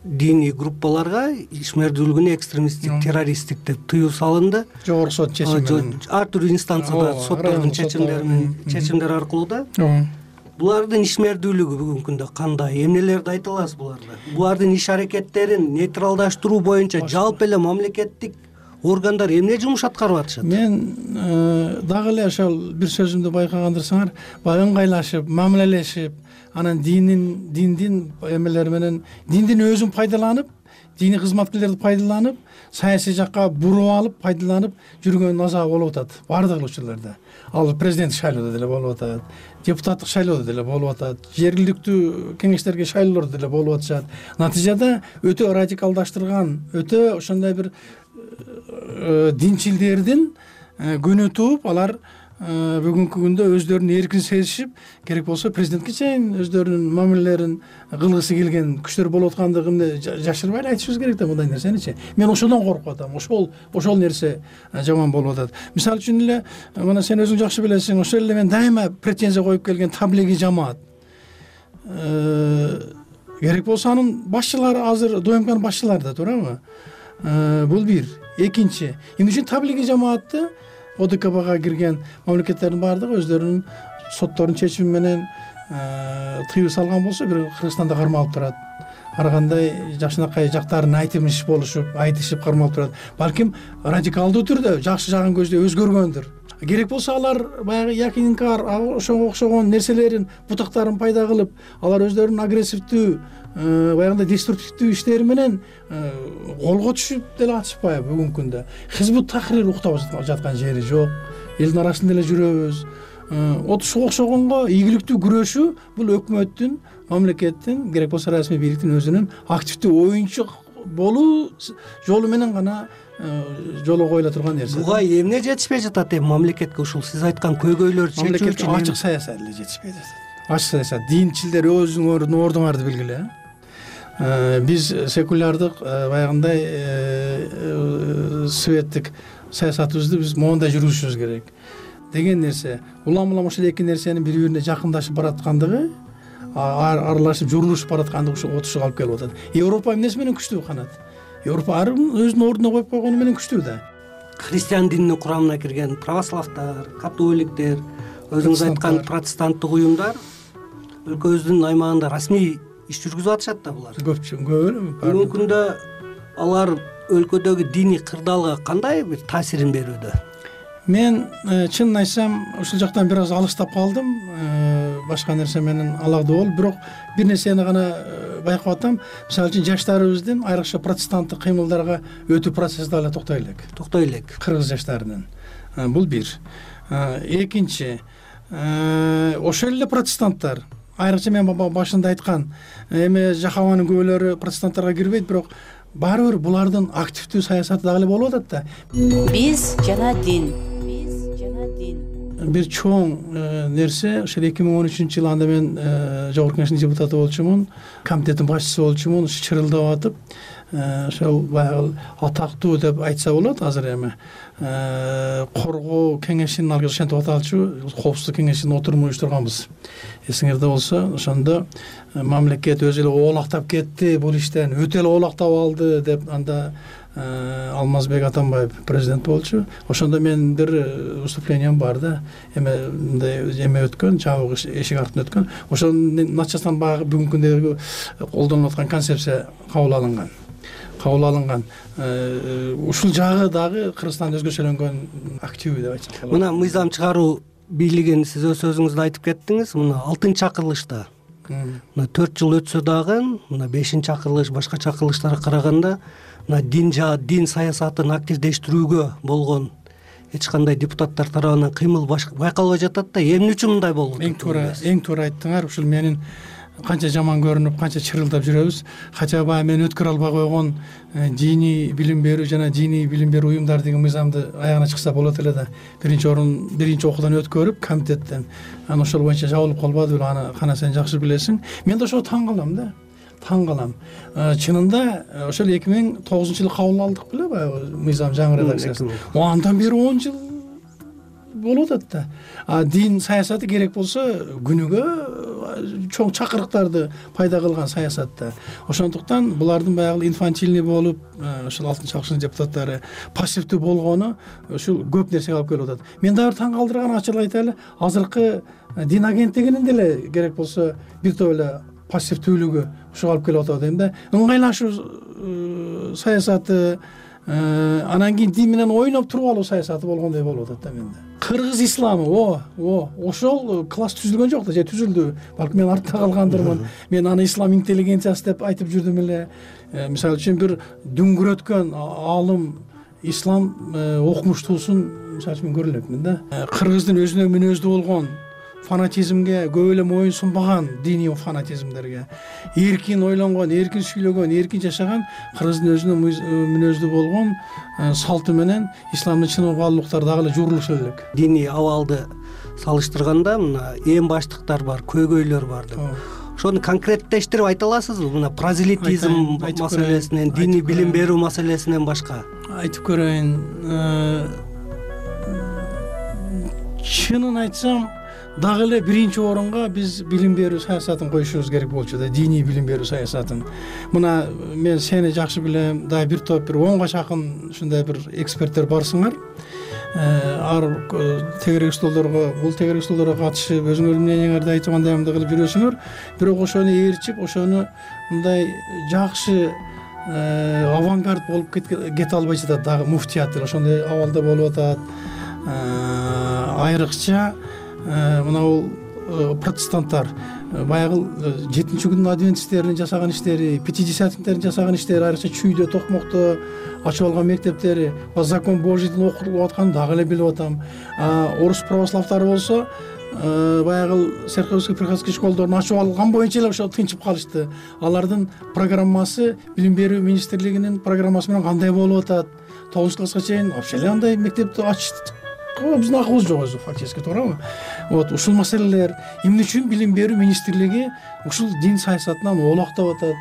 диний группаларга ишмердүүлүгүнө экстремисттик, террористтик деп тыюу салынды. Жогорку сот чечими менен. Ар түрдүү инстанцияда соттордун чечимдери аркылуу да. Булардын ишмердүүлүгү бүгүнкү күндө кандай? Эмнелерди айта аласыз буларда? Булардын иш аракеттерин нейтралдаштыруу боюнча жалпы эле мамлекеттик органдар эмне жумуш аткарып атышат? Мен дагы эле ошол бир сөзүмдү байкагандырсаңар, баягы ыңгайлашып, мамилелешип, анан диндин эмелери менен диндин өзүн пайдаланып, диний кызматкерлерди пайдаланып, саясий жакка буруп алып, пайдаланып жүргөн азабы болуп атат баардык учурларда. Ал президенттик шайлоодо деле болуп атат, депутаттык шайлоодо деле болуп атат, жергиликтүү кеңештерге шайлоолордо деле болуп атышат. Натыйжада өтө радикалдаштырган, өтө ошондой бир динчилдердин күнү тууп, алар бүгүнкү күндө өздөрүн эркин сезишип, керек болсо президентке чейин өздөрүнүн мамилелерин кылгысы келген күчтөр болуп аткандыгын жашырбай айтышыбыз керек да мындай нерсеничи. Мен ошодон коркуп атам. Ошол нерсе жаман болуп атат. Мисалы үчүн эле, мына сен өзүң жакшы билесиң, ошол эле мен дайыма претензия коюп келген таблиги жамаат. Керек болсо анын башчылары азыр ДОМКнын башчылары да туурабы? Бул бир. Экинчи, эмне үчүн таблиги жамаатты ОДКБга кирген мамлекеттердин баардыгы өздөрүнүн соттордун чечими менен тыюу салган болсо, бир Кыргызстанда кармалып турат. Ар кандай жакшынакай жактарын айтышып кармалып турат. Балким радикалдуу түрдө жакшы жагын көздөй өзгөргөндүр. керек болсо алар баягы якинкар ошого окшогон нерселерин бутактарын пайда кылып алар өздөрүнүн агрессивдүү баягындай деструктивдүү иштери менен колго түшүп деле атышпайбы бүгүнкү күндө. Хизбут Тахрир уктап жаткан жери жок, элдин арасында эле жүрөбүз. Ошого окшогонго ийгиликтүү күрөшүү бул өкмөттүн, мамлекеттин, керек болсо расмий бийликтин өзүнүн активдүү оюнчу болуу жолу менен гана жолго коюла турган нерсе. Буга эмне жетишпей жатат мамлекетке ушул сиз айткан көйгөйлөр чечүү үчүн? Ачык саясат эле жетишпей жатат. Ачык саясат. Динчилдер өзүңөрдүн ордуңарды билгиле. Биз секулярдык баягындай светтик саясатыбызды биз моундай жүргүзүшүбүз керек деген нерсе. Улам ошол эки нерсенин бири-бирине жакындашып бараткандыгы, аралашып журулушуп бараткандыгы ушул отушуга алып келип атат. Европа эмнеси менен күчтүү канат? Европа ар ким өзүнүн ордуна коюп койгону менен күчтүү да. Христиан дининин курамына кирген православтар, католиктер, өзүңүз айткан протестанттык уюмдар өлкөбүздүн аймагында расмий иш жүргүзүп атышат да булар. Бүгүнкү күндө алар өлкөдөгү диний кырдаалга кандай бир таасирин берүүдө? Мен чынын айтсам ушул жактан бир аз алыстап калдым. Башка нерсе менен алакдуу болуп, бирок бир нерсени гана байкап атам. Мисалы үчүн жаштарыбыздын айрыкча протестанттык кыймылдарга өтүү процесси дагы токтой элек. Кыргыз жаштарынын. Бул бир. Экинчи, ошол эле протестанттар, айрыкча мен башында айткан эми жахабанын күбөлөрү протестанттарга кирбейт, бирок баары бир булардын активдүү саясаты дагы эле болуп атат да. Биз жана дин. Бир чоң нерсе, ошол 2013-жылы анда мен Жогорку Кеңештин депутаты болчумун, комитеттин башчысы болчумун, чырылдап атып, ошол баягы атактуу деп айтса болот азыр эми. Коргоо кеңешинин алгы ошентип аталчу, коопсуздук кеңешинин отурумун уюштурганбыз. Эсиңерде болсо, ошондо мамлекет өзү эле оолактап кетти, бул иштен өтө эле оолактап алды деп анда Алмазбек Атамбаев президент болчу. Ошондо менин бир выступлением бар да. Эме өткөн, жабык эшик артынан өткөн. Ошонун начасынан баягы бүгүнкү күндөгү колдонулуп аткан концепция кабыл алынган. Ушул жагы дагы Кыргызстанда өзгөчөлөнгөн активдүү деп айтсак болот. Мына мыйзам чыгаруу бийлигин сиз өз сөзүңүздө айтып кеттиңиз. Мына 6-чакырылышта. Мына 4 жыл өтсө дагы, мына 5-чакырылыш, башка чакырылыштарга караганда мына дин саясатын активдештирүүгө болгон эч кандай депутаттар тарабынан кыймыл байкалбай жатат да. Эмне үчүн мындай болуп атат? Эң туура айттыңар. Ушул менин канча жаман көрүнүп, канча чырылдап жүрөбүз. Хотя бы мен өткөрө албай койгон диний билим берүү жана диний билим берүү уюмдар деген мыйзамды аягына чыкса болот эле да. Биринчи окуудан өткөрүп комитеттен. Аны ошол боюнча жабылып калбады беле, аны кана сен жакшы билесиң. Мен да ошого таң калам да. Чынында ошол 2009-жылы кабыл алдык беле баягы мыйзам жаңы редакциясын. Андан бери 10 жыл болуп атат да. Дин саясаты керек болсо күнүгө чоң чакырыктарды пайда кылган саясатта. Ошондуктан булардын баягы инфантильный болуп, ошол 6-чакырылыштын депутаттары пассивдүү болгону ушул көп нерсеге алып келип атат. Мен дагы таң калтырган ачык айтайлы, азыркы дин агенттигинин деле керек болсо бир топ эле пассивдүүлүгү ушуга алып келип атат дейм да. Ыңгайлашуу саясаты, анан кийин дин менен ойноп туруп алуу саясаты болгондой болуп атат да менде. Кыргыз исламы, ошол класс түзүлгөн жок да, же түзүлдү. Балким мен артта калгандырмын. Мен аны ислам интеллигенциясы деп айтып жүрдүм эле. Мисалы үчүн бир дүңгүрөткөн алым ислам окумуштуусун мисалы үчүн көрө элекмин да. Кыргыздын өзүнө мүнөздүү болгон фанатизмге көп эле моюн сунбаган диний фанатизмдерге, эркин ойлонгон, эркин сүйлөгөн, эркин жашаган, Кыргыздын өзүнө мүнөздүү болгон салты менен исламдын чын баалуулуктары дагы эле журулушу элек. Диний абалды салыштырганда мына эң баштыктар бар, көйгөйлөр бар деп. Ошону конкреттештирип айта аласызбы? Мына прозелитизм маселесинен, диний билим берүү маселесинен башка. Айтып көрөйүн. Чынын айтсам, дагы эле биринчи орунга биз билим берүү саясатын коюшубуз керек болчу да, диний билим берүү саясатын. Мына мен сени жакшы билем, дагы бир топ бир 10га жакын ушундай бир эксперттер барсыңар. Ар тегерек столдорго, бул тегерек столдорго катышып, өзүңөрдүн мнениеңерди айтып андай кылып жүрөсүңөр, бирок ошону ээрчип, ошону мындай жакшы авангард болуп кете албай жатат дагы муфтият ошондой абалда болуп атат. айрыкча мына бул протестанттар баягы 7-күндүн адвентисттеринин жасаган иштери, пятидесятниктердин жасаган иштери, айрыкча чүйдө, токмокто ачып алган мектептери, закон Божийдин окутулуп атканын дагы эле билип атам. Орус православдары болсо баягы церковский приходской школдорун ачып алган боюнча эле ошо тынчып калышты. Алардын программасы билим берүү министрлигинин программасы менен кандай болуп атат? 9-класска чейин вообще эле андай мектепти ачтык. Биздин акыбыз жок өзү фактически, туурабы? Вот ушул маселелер эмне үчүн билим берүү министрлиги ушул дин саясатынан олактап атат?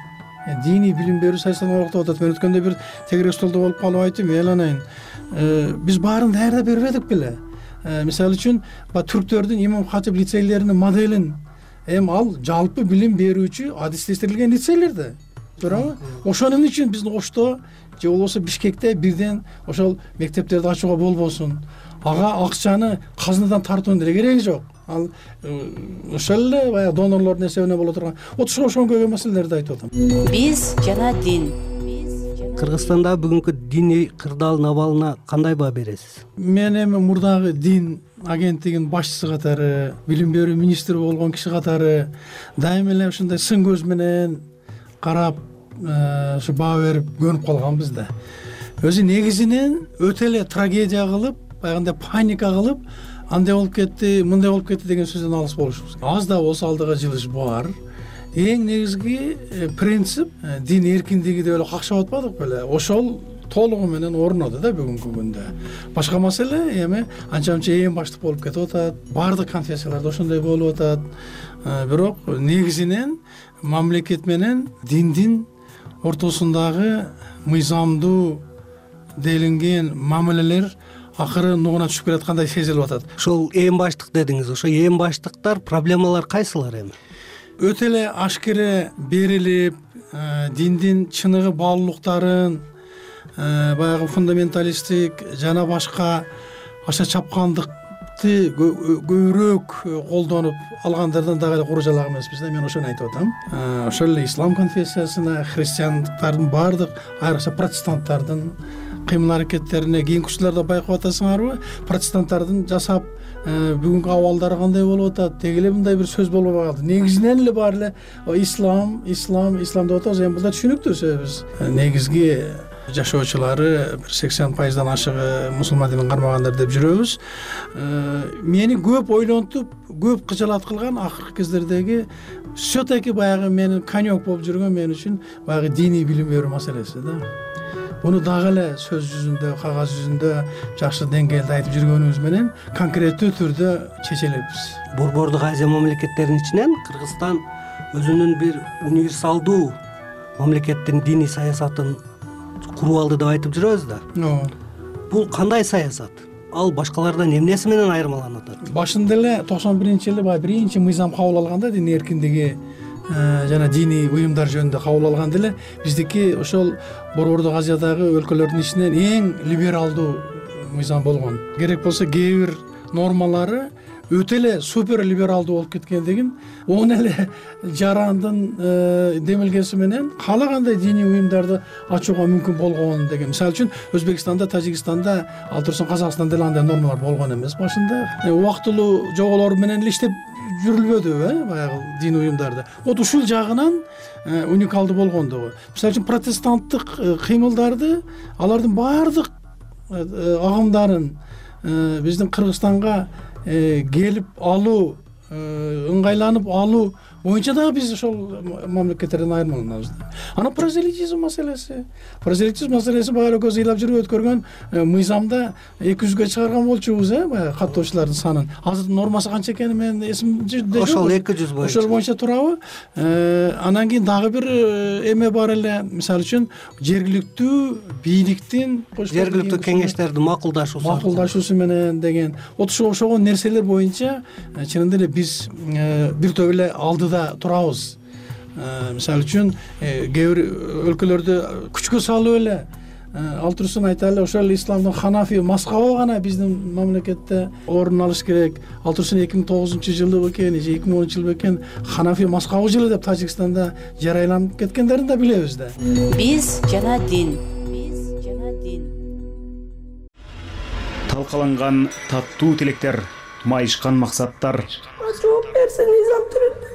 Диний билим берүү саясатынан олактап атат. Мен өткөндө бир тегерек столдо болуп калып айттым, эланайын. Биз баарын даярдап бербедик беле? Мисалы үчүн, түрктөрдүн имам хатип лицейлеринин моделин ал жалпы билим берүүчү адистештирилген лицейлер да. Туурабы? Ошону эмне үчүн биздин Ошто же болбосо Бишкекте бирден ошол мектептерди ачууга болбосун? Ага акчаны казынадан тартуунун деле кереги жок. Ал ошол эле баягы донорлордун эсебине боло турган. Вот ошонгой маселелерди айтып атам. Биз жана дин. Кыргызстанда бүгүнкү диний кырдаалдын абалына кандай баа бересиз? Мен эми мурдагы дин агенттигинин башчысы катары, билим берүү министри болгон киши катары дайыма эле ушундай сын көз менен карап, ушу баа берип көнүп калганбыз да. Өзү негизинен өтө эле трагедия кылып, баягындай паника кылып, андай болуп кетти, мындай болуп кетти деген сөздөн алыс болушубуз. Аз да болсо алдыга жылыш бар. Эң негизги принцип дин эркиндиги деп эле какшап атпадык беле? Ошол толугу менен орноду да бүгүнкү күндө. Башка маселе эми анча-мынча эң баштык болуп кетип атат. Баардык конфессияларда ошондой болуп атат. Бирок негизинен мамлекет менен диндин ортосундагы мыйзамдуу делинген мамилелер акыры нугуна түшүп келаткандай сезилип атат. Ошол эң баштык дедиңиз. Ошо эң баштыктар, проблемалар кайсылар эми? Өтө эле ашкере берилип, диндин чыныгы баалуулуктарын баягы фундаменталисттик жана башка аша чапкандыкты көбүрөөк колдонуп алгандардан дагы эле куру жалак эмеспиз да. Мен ошону айтып атам. Ошол эле ислам конфессиясына, христиандыктардын баардык, айрыкча протестанттардын кыймыл аракеттерине кийинки учурларда байкап атасыңарбы? Протестанттардын жасап бүгүнкү абалдары кандай болуп атат? Теги эле мындай бир сөз болбой калды. Негизинен эле баары эле ислам деп атабыз. Эми бул да түшүнүктүү сөз. Негизги жашоочулары бир 80%дан ашыгы мусулман динин кармагандар деп жүрөбүз. Мени көп ойлонтуп, көп кыжалат кылган акыркы кездердеги все-таки баягы менин конек болуп жүргөн мен үчүн баягы диний билим берүү маселеси да. Буну дагы эле сөз жүзүндө, кагаз жүзүндө жакшы деңгээлде айтып жүргөнүбүз менен конкреттүү түрдө чечелеппиз. Борбордук Азия мамлекеттеринин ичинен Кыргызстан өзүнүн бир универсалдуу мамлекеттин диний саясатын куруп алды деп айтып жүрөбүз да. Бул кандай саясат? Ал башкалардан эмнеси менен айырмаланат атат? Башында эле 91-жылы баягы биринчи мыйзам кабыл алганда, дин эркиндиги жана диний уюмдар жөнүндө кабыл алганда эле биздики ошол Борбордук Азиядагы өлкөлөрдүн ичинен эң либералдуу мыйзам болгон. Керек болсо кээ бир нормалары өтө эле супер либералдуу болуп кеткендигин, он эле жарандын демилгеси менен каалагандай диний уюмдарды ачууга мүмкүн болгон деген. Мисалы үчүн Өзбекстанда, Тажикстанда, ал турсун Казакстанда эле андай нормалар болгон эмес башында. Убактылуу жоболор менен эле иштеп жүрүлбөдү баягы дин уюмдарда. Вот ушул жагынан уникалдуу болгондугу. Мисалы үчүн протестанттык кыймылдарды, алардын баардык агымдарын биздин Кыргызстанга келип алуу, ыңгайланып алуу боюнча дагы биз ошол мамлекеттерден айырмаланабыз. Анан прозелитизм маселеси баары эле көз ыйлап жүрүп өткөргөн мыйзамда 200ге чыгарган болчубуз, баягы каттоочулардын санын. Азыр нормасы канча экени менин эсимде жок. Ошол 200 боюнча. Ошол боюнча турабы? Анан кийин дагы бир эме бар эле, мисалы үчүн жергиликтүү бийликтин, жергиликтүү кеңештердин макулдашуусу менен деген. Ошого нерселер боюнча чынында эле биз бир топ эле алдыда турабыз. Мисалы үчүн кээ бир өлкөлөрдө күчкө салып эле ал турсун айталы, ошол исламдын ханафи маскабы гана биздин мамлекетте орун алыш керек. Ал турсун 2009-жылы бекен, же 2010-жылы бекен ханафи маскабы жылы деп Тажикстанда жарыяланып кеткендерин да билебиз да. Биз жана дин. талкаланган таттуу тилектер, майышкан максаттар. Жооп берсин Низам түрүндө.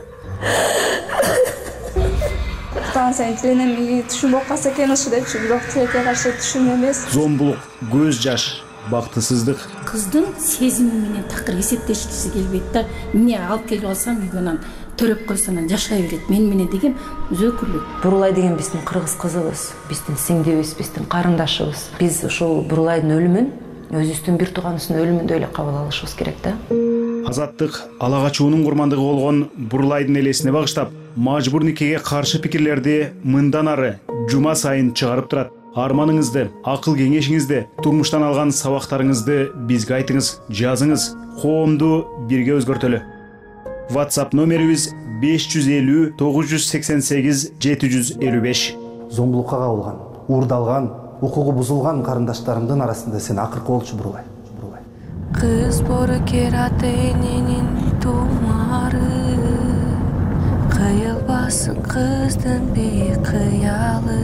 Сен тиленем түшүнбөй калса экен ушу депчи, бирок тилекке каршы түшүн эмес. Зомбулук, көз жаш, бактысыздык. Кыздын сезими менен такыр эсептешкиси келбейт да. Эмне алып келип алсам үйгө анан төрөп койсом анан жашай берет. Мен менен деген өзөкүлүк. Бурулай деген биздин кыргыз кызыбыз, биздин сиңдибиз, биздин карындашыбыз. Биз ушул Бурулайдын өлүмүн өзүбүздүн бир тууганыбыздын өлүмүндөй эле кабыл алышыбыз керек да. Азаттык ала качуунун курмандыгы болгон Бурулайдын элесине багыштап, мажбур никеге каршы пикирлерди мындан ары жума сайын чыгарып турат. Арманыңызды, акыл кеңешиңизди, турмуштан алган сабактарыңызды бизге айтыңыз, жазыңыз. Коомду бирге өзгөртөлү. WhatsApp номерибиз 550 988 755. Зомбулукка кабылган, уурдалган, укугу бузулган карындаштарымдын арасында сен акыркы болчу Бурулай. Кыз бору кераты эненин тумары, кыйылбасын кыздын бейкыялы.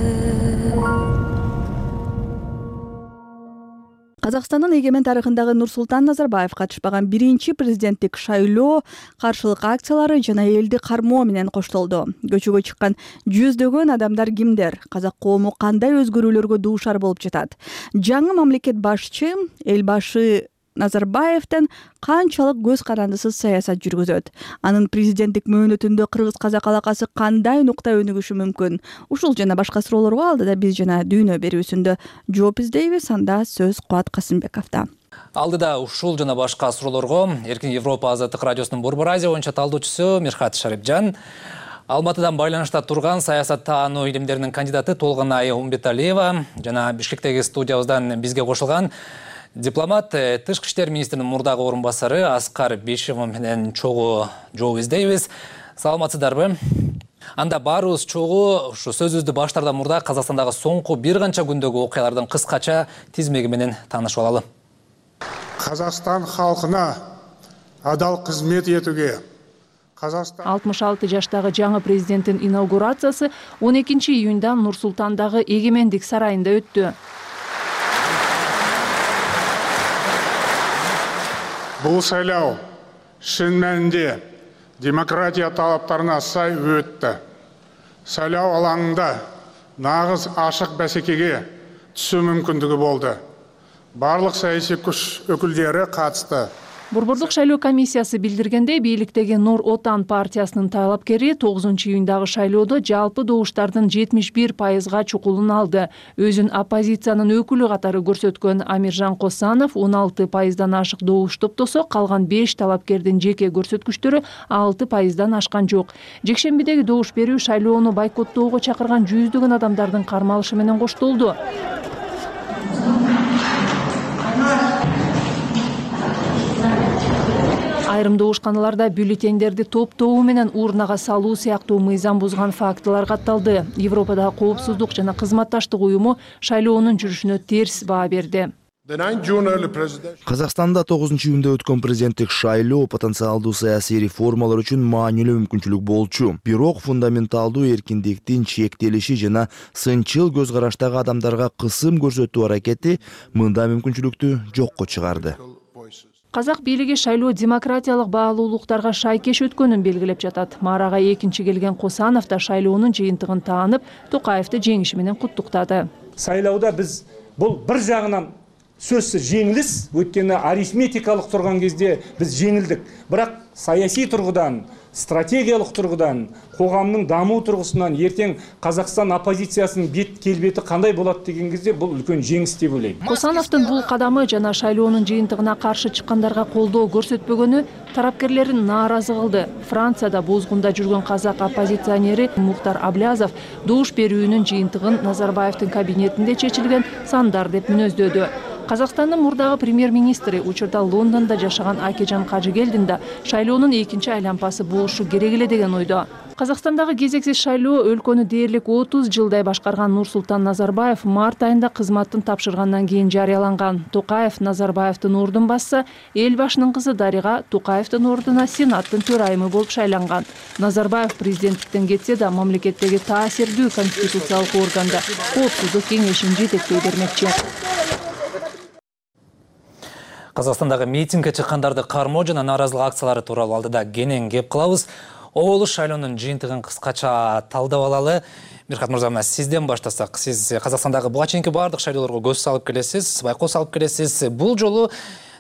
Казакстандын эгемен тарыхындагы Нурсултан Назарбаев катышпаган биринчи президенттик шайлоо каршылык акциялары жана элди кармоо менен коштолду. Көчөгө чыккан жүздөгөн адамдар кимдер? Казак коому кандай өзгөрүүлөргө дуушар болуп жатат? Жаңы мамлекет башчы эл башы Назарбаевден канчалык көз карандысыз саясат жүргүзөт? Анын президенттик мөөнөтүндө кыргыз-казак алакасы кандай нукта өнүгүшү мүмкүн? Ушул жана башка суроолорго алдыда биз жана дүйнө берүүсүндө жооп издейбиз. Анда сөз Кубат Касымбековдо. Алдыда ушул жана башка суроолорго Эркин Европа Азаттык радиосунун Борбор Азия боюнча талдоочусу Мирхат Шарипжан, Алматыдан байланышта турган саясаттануу илимдеринин кандидаты Толгонай Умбеталиева жана Бишкектеги студиябыздан бизге кошулган дипломат, тышкы иштер министринин мурдагы орун басары Аскар Бишимов менен чогуу жооп издейбиз. Саламатсыздарбы? Анда баарыбыз чогуу ушу сөзүбүздү баштаардан мурда Казакстандагы соңку бир канча күндөгү окуялардын кыскача тизмеги менен таанышып алалы. Казакстан халкына адал кызмет этүүгө 66 жаштагы жаңы президенттин инаугурациясы 12 июнда Нур-Султандагы Эгемендик сарайында өттү. Бул шайлоо шын мәнинде демократия талаптарына сай өттү. Шайлоо алаңында нагыз ашык бәсекеге түсүү мүмкүндүгү болду. Барлык саясий күч өкүлдөрү катышты. Борбордук шайлоо комиссиясы билдиргендей, бийликтеги Нур Отан партиясынын талапкери 9 июндагы шайлоодо жалпы добуштардын 71%га чукулун алды. Өзүн оппозициянын өкүлү катары көрсөткөн Амиржан Косанов 16%дан ашык добуш топтосо, калган 5 талапкердин жеке көрсөткүчтөрү 6%дан ашкан жок. Жекшембидеги добуш берүү шайлоону бойкоттоого чакырган жүздөгөн адамдардын кармалышы менен коштолду. Айрым добушканаларда бюллетендерди топтоо менен урнага салуу сыяктуу мыйзам бузган фактылар катталды. Европадагы коопсуздук жана кызматташтык уюму шайлоонун жүрүшүнө терс баа берди. Казакстанда 9 июнда өткөн президенттик шайлоо потенциалдуу саясий реформалар үчүн маанилүү мүмкүнчүлүк болчу. Бирок фундаменталдуу эркиндиктин чектелиши жана сынчыл көз караштагы адамдарга кысым көрсөтүү аракети мындай мүмкүнчүлүктү жокко чыгарды. Казак бийлиги шайлоо демократиялык баалуулуктарга шайкеш өткөнүн белгилеп жатат. Марага экинчи келген Косанов да шайлоонун жыйынтыгын таанып, Токаевди жеңиши менен куттуктады. Шайлоодо биз бул бир жагынан сөзсүз жеңилис, өткөнү арифметикалык турган кезде биз жеңилдик. Бирок саясий тургудан, стратегиялык тургудан, коомдун дамуу тургусунан эртең Казакстан оппозициясынын бет келбети кандай болот деген кезде бул үлкөн жеңис деп ойлойм. Косановдун бул кадамы жана шайлоонун жыйынтыгына каршы чыккандарга колдоо көрсөтпөгөнү тарапкерлерин нааразы кылды. Францияда бузгунда жүргөн казак оппозиционери Мухтар Аблязов добуш берүүнүн жыйынтыгын Назарбаевдин кабинетинде чечилген сандар деп мүнөздөдү. Казакстандын мурдагы премьер-министри учурда Лондондо жашаган Акежан Кажыгелдин да шайлоонун экинчи айланпасы болушу керек эле деген ойдо. Казакстандагы кезексиз шайлоо өлкөнү дээрлик 30 жылдай башкарган Нурсултан Назарбаев март айында кызматтын тапшыргандан кийин жарыяланган. Токаев Назарбаевдин ордун басса, эл башынын кызы Дарига Токаевдин ордуна Сенаттын төрайымы болуп шайланган. Назарбаев президенттиктен кетсе да мамлекеттеги таасирдүү конституциялык органда Коопсуздук кеңешин жетектей бермекчи. Казакстандагы митингге чыккандарды кармоо жана нааразылык акциялары тууралуу алдыда кенен кеп кылабыз. Оболуш шайлоонун жыйынтыгын кыскача талдап алалы. Мирхат мырза, сизден баштасак. Сиз Казакстандагы буга чейинки баардык шайлоолорго көз салып келесиз, байкоо салып келесиз. Бул жолу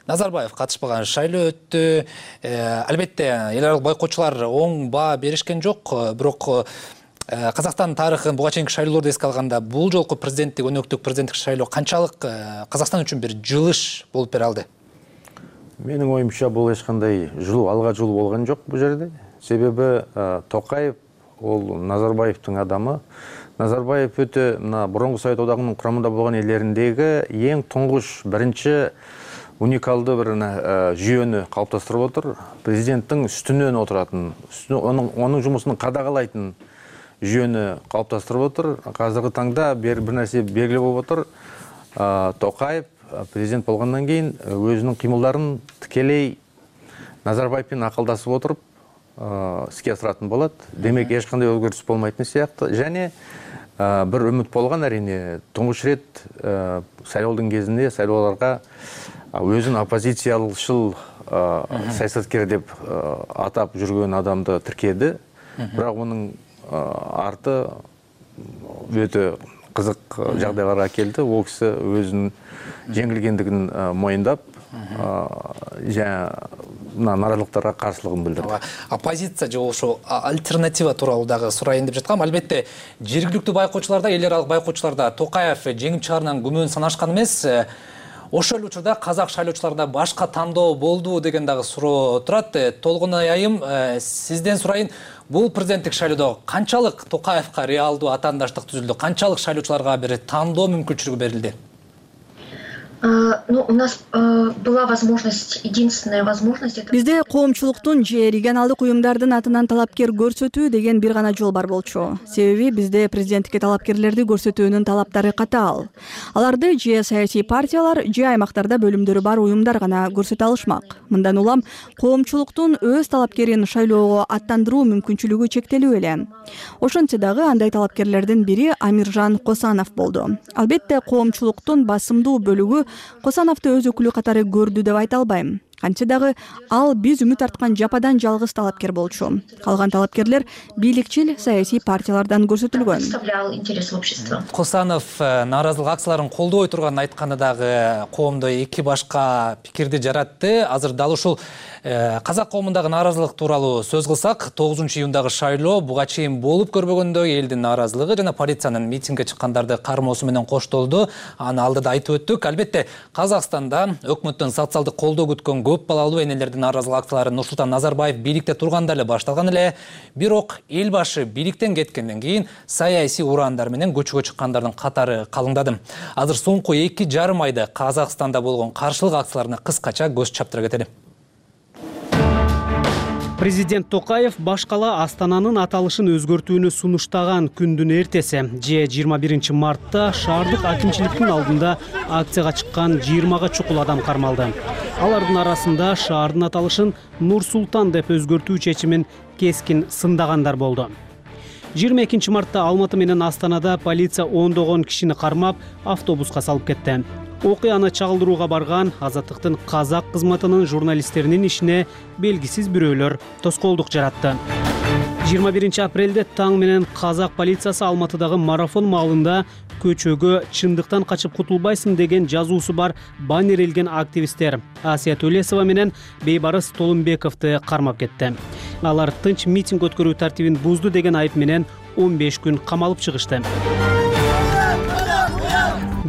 Назарбаев катышпаган шайлоо өттү. Албетте, эл аралык байкоочулар оң баа беришкен жок, бирок Казакстан тарыхын буга чейинки шайлоолорду эске алганда бул жолку президенттик, өнөктүк президенттик шайлоо канчалык Казакстан үчүн бир жылыш болуп бере алды? Менин оюмча бул эч кандай алга жолу болгон жок бул жерде. Себеби Токаев ол Назарбаевдин адамы. Назарбаев өтө мурунку Совет Одагынын курамында болгон элдериндеги эң туңгуш биринчи уникалдуу бир жүйөнү калыптастырып отур. Президенттин үстүнөн отуратын, онун жумусун кадағалайтын жүйөнү калыптастырып отур. Азыркы таңда бир нерсе белгилүү болуп отур. Токаев президент болгондон кийин өзүнүн кыймылдарын тикелей Назарбаевдин акылдасып отуруп иске асыратын болот. Демек эч кандай өзгөрүш болмайтын сыяктуу. Жана бир үмүт болгон, арине туңгуч рет шайлоодун кезинде шайлоолорго өзүн оппозициялшыл саясаткер деп атап жүргөн адамды тиркеди. Бирок мунун арты өтө кызык жагдайларга келди. Ол киши өзүнүн жеңилгендигин моюндап, нааразылыктарга каршылыгын билдирди. Оппозиция же ошо альтернатива тууралуу дагы сурайын деп жаткам. Албетте, жергиликтүү байкоочуларда, эл аралык байкоочуларда Токаев жеңип чыгарынан күмөн санашкан эмес. Ошол эле учурда казак шайлоочуларда башка тандоо болду деген дагы суроо турат. Толгон айым, сизден сурайын, бул президенттик шайлоодо канчалык Токаевка реалдуу атаандаштык түзүлдү? Канчалык шайлоочуларга бир тандоо мүмкүнчүлүгү берилди? У нас была возможность, единственная возможность это... Бизде коомчулуктун же регионалдык уюмдардын атынан талапкер көрсөтүү деген бир гана жол бар болчу. Себеби бизде президенттикке талапкерлерди көрсөтүүнүн талаптары катаал. Аларды же саясий партиялар, же аймактарда бөлүмдөрү бар уюмдар гана көрсөтө алышмак. Мындан улам коомчулуктун өз талапкерин шайлоого аттандыруу мүмкүнчүлүгү чектелүү эле. Ошентсе дагы андай талапкерлердин бири Амиржан Косанов болду. Албетте, коомчулуктун басымдуу бөлүгү Косановду өз өкүлү катары көрдү деп айта албайм. Кантсе дагы ал биз үмүт арткан жападан жалгыз талапкер болчу. Калган талапкерлер бийликчил саясий партиялардан көрсөтүлгөн. Косанов нааразылык акцияларын колдобой турганын айтканы дагы коомдо эки башка пикирди жаратты. Азыр дал ушул казак коомундагы нааразылык тууралуу сөз кылсак, 9-июндагы шайлоо буга чейин болуп көрбөгөндөй элдин нааразылыгы жана полициянын митингге чыккандарды кармоосу менен коштолду. Аны алдыда айтып өттүк. Албетте, Казакстанда өкмөттөн социалдык колдоо күткөн көп балалуу энелердин нааразылык акциялары Нурсултан Назарбаев бийликте турганда эле башталган эле. Бирок эл башы бийликтен кеткенден кийин саясий ураандар менен көчөгө чыккандардын катары калыңдады. Азыр соңку 2,5 айда Казакстанда болгон каршылык акцияларына кыскача көз чаптыра кетели. Президент Токаев башкала Астананын аталышын өзгөртүүнү сунуштаган күндүн эртеси, же 21 мартта шаардык акимчиликтин алдында акцияга чыккан 20га чукул адам кармалды. Алардын арасында шаардын аталышын Нур-Султан деп өзгөртүү чечимин кескин сындагандар болду. 22 мартта Алматы менен Астанада полиция ондогон кишини кармап, автобуска салып кетти. Окуяны чагылдырууга барган Азаттыктын казак кызматынын журналисттеринин ишине белгисиз бирөөлөр тоскоолдук жаратты. 21 апрелде таң менен казак полициясы Алматыдагы марафон маалында көчөгө чындыктан качып кутулбайсың деген жазуусу бар баннер илген активисттер Асия Төлесова менен Бейбарыс Толумбековду кармап кетти. Алар тынч митинг өткөрүү тартибин бузду деген айып менен 15 күн камалып чыгышты.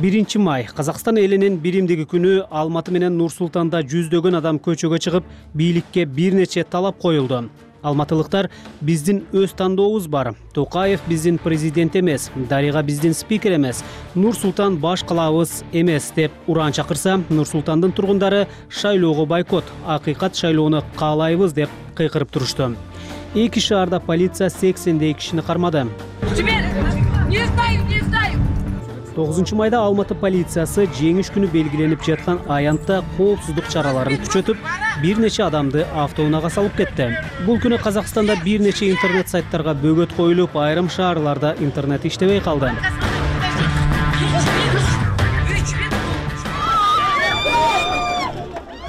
1 май Казакстан элинин биримдиги күнү Алматы менен Нур-Султанда жүздөгөн адам көчөгө чыгып, бийликке бир нече талап коюлду. Алматылыктар биздин өз тандообуз бар. Токаев биздин президент эмес, Дарига биздин спикер эмес, Нур-Султан баш калабыз эмес деп ураан чакырса, Нур-Султандын тургундары шайлоого бойкот, акыйкат шайлоону каалайбыз деп кыйкырып турушту. Эки шаарда полиция 80 кишини кармады. 9 майда Алматы полициясы жеңиш күнү белгиленип жаткан аянтта коопсуздук чараларын күчөтүп, бир нече адамды автоунаага салып кетти. Бул күнү Казакстанда бир нече интернет сайттарга бөгөт коюлуп, айрым шаарларда интернет иштебей калды.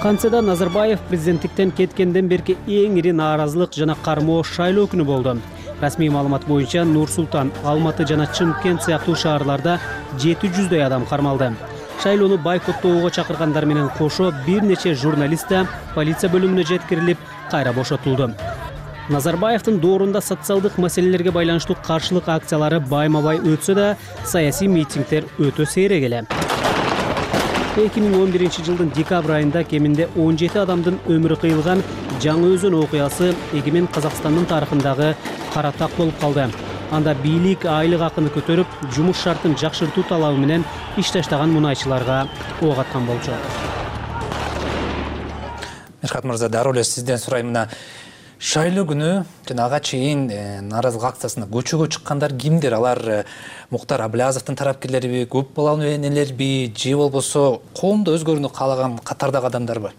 Кантсе да Назарбаев президенттиктен кеткенден берки эң ири нааразылык жана кармоо шайлоо күнү болду. Расмий маалымат боюнча Нур Султан, Алматы жана Чымкент сыяктуу шаарларда 700дөй адам кармалды. Шайлоону бойкоттоого чакыргандар менен кошо бир нече журналист да полиция бөлүмүнө жеткирилип, кайра бошотулду. Назарбаевдин доорунда социалдык маселелерге байланыштуу каршылык акциялары байма-бай өтсө да, саясий митингдер өтө сейрек эле. 2011-жылдын декабрь айында кеминде 17 адамдын өмүрү кыйылган Жаңы Өзөн окуясы эгемен Казакстандын тарыхындагы кара так болуп калды. Анда бийлик айлык акыны көтөрүп, жумуш шартын жакшыртуу талабы менен иш таштаган мунайчыларга ок аткан болчу. Мирхат мырза, дароо эле сизден сурайм, мына шайлоо күнү жана ага чейин нааразылык акциясына көчөгө чыккандар кимдер? Алар Муктар Аблязовдун тарапкерлериби, көп балалуу энелерби, же болбосо коомду өзгөрүүнү каалаган катардагы адамдарбы?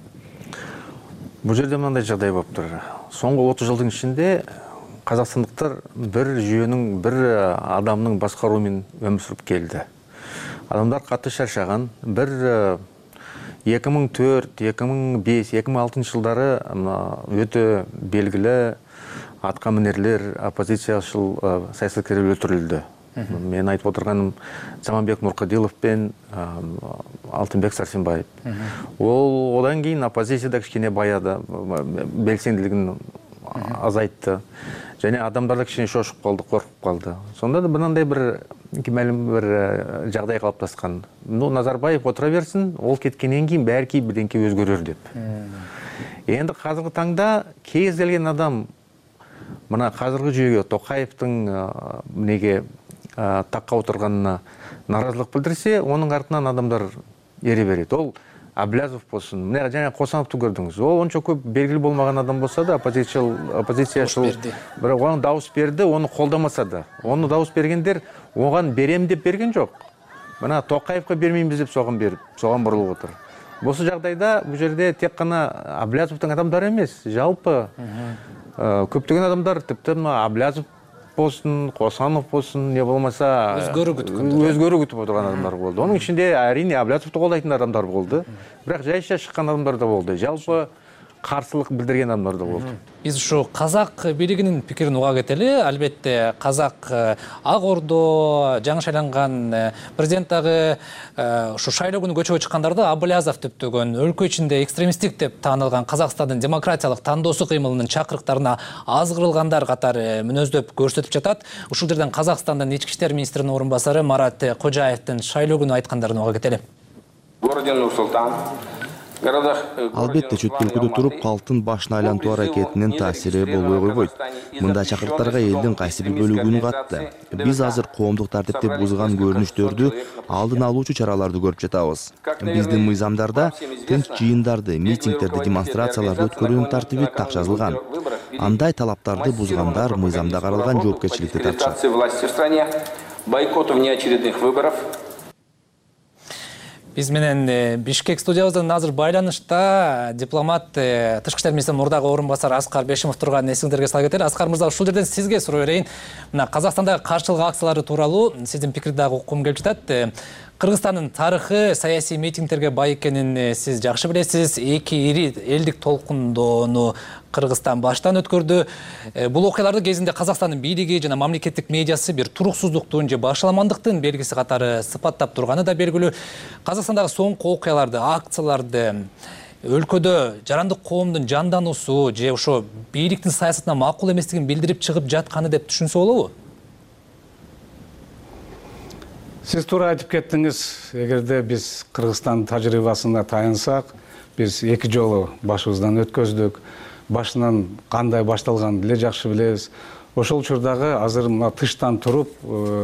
Бул жерде мындай жагдай болуптур. Соңку 30 жылдын ичинде казакстандыктар бир жүйөнүн, бир адамдын башкаруу менен өмүр сүрүп келди. Адамдар катты шаршаган. Бир 2004, 2005, 2006 жылдары өтө белгилүү атка минерлер, оппозициячыл саясаткерлер өлтүрүлдү. Мен айтып отурганым Заманбек Нуркадилов пен Алтынбек Сарсенбаев. Ол одан кийин оппозицияда кичине баяды, белсендүүлүгүн азайтты. Және адамдар да кичине шошуп калды, коркуп калды. Сонда да мындай бир кимелим бир жагдай калыптаскан. Назарбаев отура берсин, ол кеткенден кийин бәрки бирденке өзгөрөр деп. Энди азыркы таңда кез келген адам мына азыркы жүйөгө Токаевдин неге такка отурганына нааразылык билдирсе, онун артынан адамдар эре берет. Ол Аблязов болсун, мына жаңа Косановду көрдүңүз. Ол ончо көп белгилүү болмаган адам болсо да, оппозициячыл бирок ага дабыс берди, оны колдомаса да. Оны дабыс бергендер оган берем деп берген жок. Мына Токаевга бермеймиз деп соган бурулуп отур. Босу жагдайда бул жерде тек гана Аблязовдун адамдары эмес, жалпы көптөгөн адамдар, типти Аблязов болсун, Косанов болсун, не болмаса өзгөрүү күтүп отурган адамдар болду. Онун ичинде арине Аблязовду колдойтун адамдар болду. Бирок жайша чыккан адамдар да болду. Жалпы каршылык билдирген адамдар да болду. Биз ушу казак бийлигинин пикирин уга кетели. Албетте казак Ак Ордо жаңы шайланган президент дагы ушу шайлоо күнү көчөгө чыккандарды Аблязов деп төгөн, өлкө ичинде экстремисттик деп таанылган Казакстандын демократиялык тандоосу кыймылынын чакырыктарына азгырылгандар катары мүнөздөп көрсөтүп жатат. Ушул жерден Казакстандын ички иштер министринин орун басары Марат Кожаевдин шайлоо күнү айткандарын уга кетели. Албетте чөт өлкөдө туруп калктын башын айлантуу аракетинин таасири болбой койбойт. Мындай чакырыктарга элдин кайсы бир бөлүгүн катты. Биз азыр коомдук тартипти бузган көрүнүштөрдү алдын алуучу чараларды көрүп жатабыз. Биздин мыйзамдарда тынч жыйындарды, митингдерди, демонстрацияларды өткөрүүнүн тартиби так жазылган. Андай талаптарды бузгандар мыйзамда каралган жоопкерчиликти тартышат. Бойкоту внеочередных выборов. Биз менен Бишкек студиябыздан азыр байланышта дипломат тышкы иштер министринин мурдагы орун басары Аскар Бешимов турганын эсиңиздерге сала кетели. Аскар мырза, ушул жерден сизге суроо берейин. Мына Казакстандагы каршылык акциялары тууралуу сиздин пикирди дагы уккум келип жатат. Кыргызстандын тарыхы саясий митингдерге бай экенин сиз жакшы билесиз. Эки ири элдик толкундоону Кыргызстан баштан өткөрдү. Бул окуяларды кезинде Казакстандын бийлиги жана мамлекеттик медиасы бир туруксуздуктун же башаламандыктын белгиси катары сыпаттап турганы да белгилүү. Казакстандагы соңку окуяларды, акцияларды өлкөдө жарандык коомдун жандануусу же ошо бийликтин саясатына макул эместигин билдирип чыгып жатканы деп түшүнсө болобу? Сиз туура айтып кеттиңиз. Эгерде биз Кыргызстан тажрыйбасына таянсак, биз эки жолу башыбыздан өткөздүк. Башынан кандай башталганын деле жакшы билебиз. Ошол учурдагы азыр тыштан туруп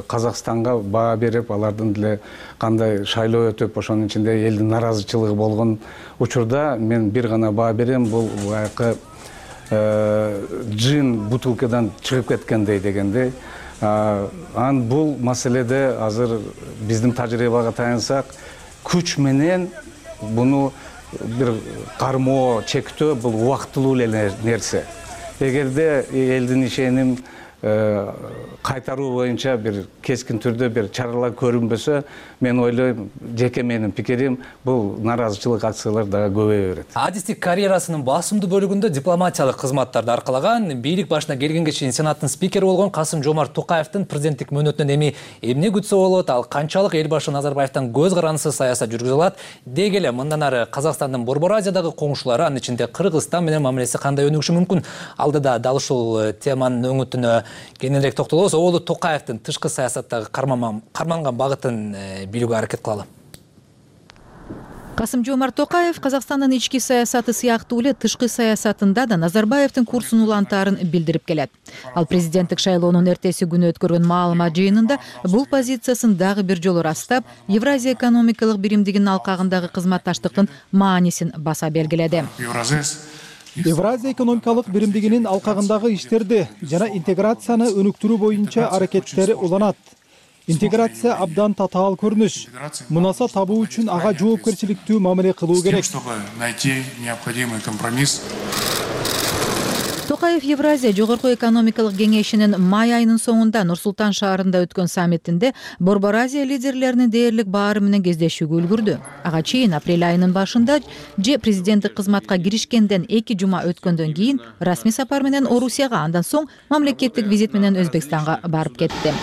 Казакстанга баа берип, алардын деле кандай шайлоо өтүп, ошонун ичинде элдин наразычылыгы болгон учурда мен бир гана баа берем, бул баягы жын бутылкадан чыгып кеткендей дегендей. Бул маселеде азыр биздин тажрыйбага таянсак, күч менен буну бир кармоо чектөө бул убактылуу эле нерсе. Эгерде элдин ишеним кайтаруу боюнча бир кескин түрдө бир чаралар көрүнбөсө, мен ойлойм, жеке менин пикирим, бул нааразычылык акциялар дагы көбөйө берет. Адистик карьерасынын басымдуу бөлүгүндө дипломатиялык кызматтарды аркалаган, бийлик башына келгенге чейин Сенаттын спикери болгон Касым-Жомарт Токаевдин президенттик мөөнөтүнөн эми эмне күтсө болот, ал канчалык эл башы Назарбаевдин көз карандысыз саясат жүргүзө алат, деги эле мындан ары Казакстандын Борбор Азиядагы коңшулары, анын ичинде Кыргызстан менен мамилеси кандай өнүгүшү мүмкүн? Алдыда дал ушул теманын өңүтүнө кененирээк токтолобуз. Оолу Токаевдин тышкы саясаттагы карманган багытын билүүгө аракет кылалы. Касым-Жомарт Токаев Казакстандын ички саясаты сыяктуу эле тышкы саясатында да Назарбаевдин курсун улантаарын билдирип келет. Ал президенттик шайлоонун эртеси күнү өткөргөн маалымат жыйынында бул позициясын дагы бир жолу растап, Евразия экономикалык биримдигинин алкагындагы кызматташтыктын маанисин баса белгиледи. Евразия экономикалык биримдигинин алкагындагы иштерди жана интеграцияны өнүктүрүү боюнча аракеттери уланат. Интеграция абдан татаал көрүнүш. Мунаса табуу үчүн ага жоопкерчиликтүү мамиле кылуу керек. Токаев Евразия жогорку экономикалык кеңешинин май айынын соңунда Нур-Султан шаарында өткөн саммитинде Борбор Азия лидерлеринин дээрлик баары менен кездешүүгө үлгүрдү. Ага чейин апрель айынын башында же президенттик кызматка киришкенден 2 жума өткөндөн кийин расмий сапар менен Орусияга, андан соң мамлекеттик визит менен Өзбекстанга барып кетти.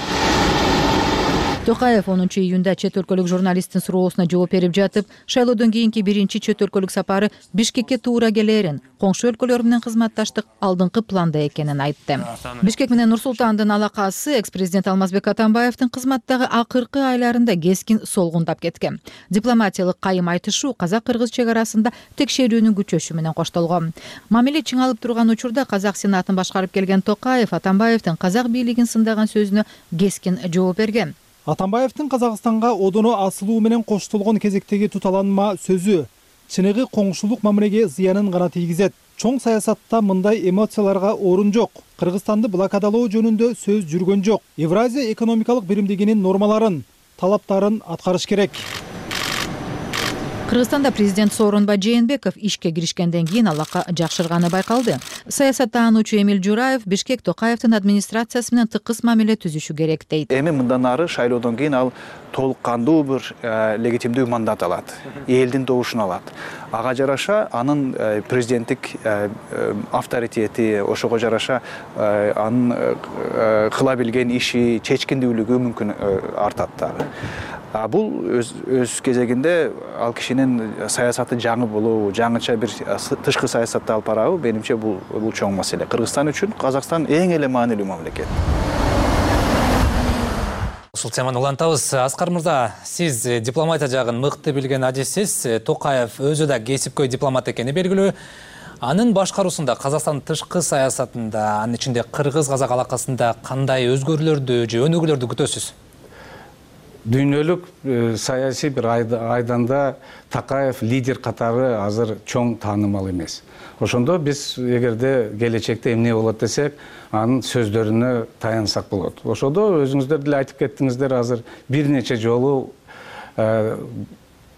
Токаев 10 июнда чет өлкөлүк журналисттин суроосуна жооп берип жатып, шайлоодон кийинки биринчи чет өлкөлүк сапары Бишкекке туура келерин, коңшу өлкөлөр менен кызматташтык алдыңкы планда экенин айтты. Бишкек менен Нур-Султандын алакасы экс-президент Алмазбек Атамбаевдин кызматтагы акыркы айларында кескин солгундап кеткен. Дипломатиялык кайым айтышуу казак-кыргыз чек арасында текшерүүнүн күчөшү менен коштолгон. Мамиле чыңалып турган учурда Казак Сенатын башкарып келген Токаев Атамбаевдин казак бийлигин сындаган сөзүнө кескин жооп берген. Атамбаевдин Казакстанга одоно асылуу менен коштолгон кезектеги туталанма сөзү чыныгы коңшулук мамилеге зыянын гана тийгизет. Чоң саясатта мындай эмоцияларга орун жок. Кыргызстанды блокадалоо жөнүндө сөз жүргөн жок. Евразия экономикалык биримдигинин нормаларын, талаптарын аткарыш керек. Кыргызстанда президент Сооронбай Жээнбеков ишке киришкенден кийин алака жакшырганы байкалды. Саясаттануучу Эмил Жураев Бишкек Токаевдин администрациясы менен тыкыз мамиле түзүшү керек дейт. Эми мындан ары шайлоодон кийин ал толук кандуу бир легитимдүү мандат алат, элдин добушун алат. Ага жараша анын президенттик авторитети, ошого жараша анын кыла билген иши, чечкиндүүлүгү мүмкүн артат дагы. Бул өз кезегинде ал кишинин саясаты жаңы болобу, жаңыча бир тышкы саясатты алып барабы, менимче бул чоң маселе. Кыргызстан үчүн Казакстан эң эле маанилүү мамлекет. Ушул теманы улантабыз. Аскар мырза, сиз дипломатия жагын мыкты билген адиссиз. Токаев өзү да кесипкөй дипломат экени белгилүү. Анын башкаруусунда Казакстандын тышкы саясатында, анын ичинде кыргыз-казак алакасында кандай өзгөрүүлөрдү же өнүгүүлөрдү күтөсүз? Дүйнөлүк саясий бир айданда Токаев лидер катары азыр чоң таанымал эмес. Ошондо биз эгерде келечекте эмне болот десек, анын сөздөрүнө таянсак болот. Ошондо өзүңүздөр деле айтып кеттиңиздер, азыр бир нече жолу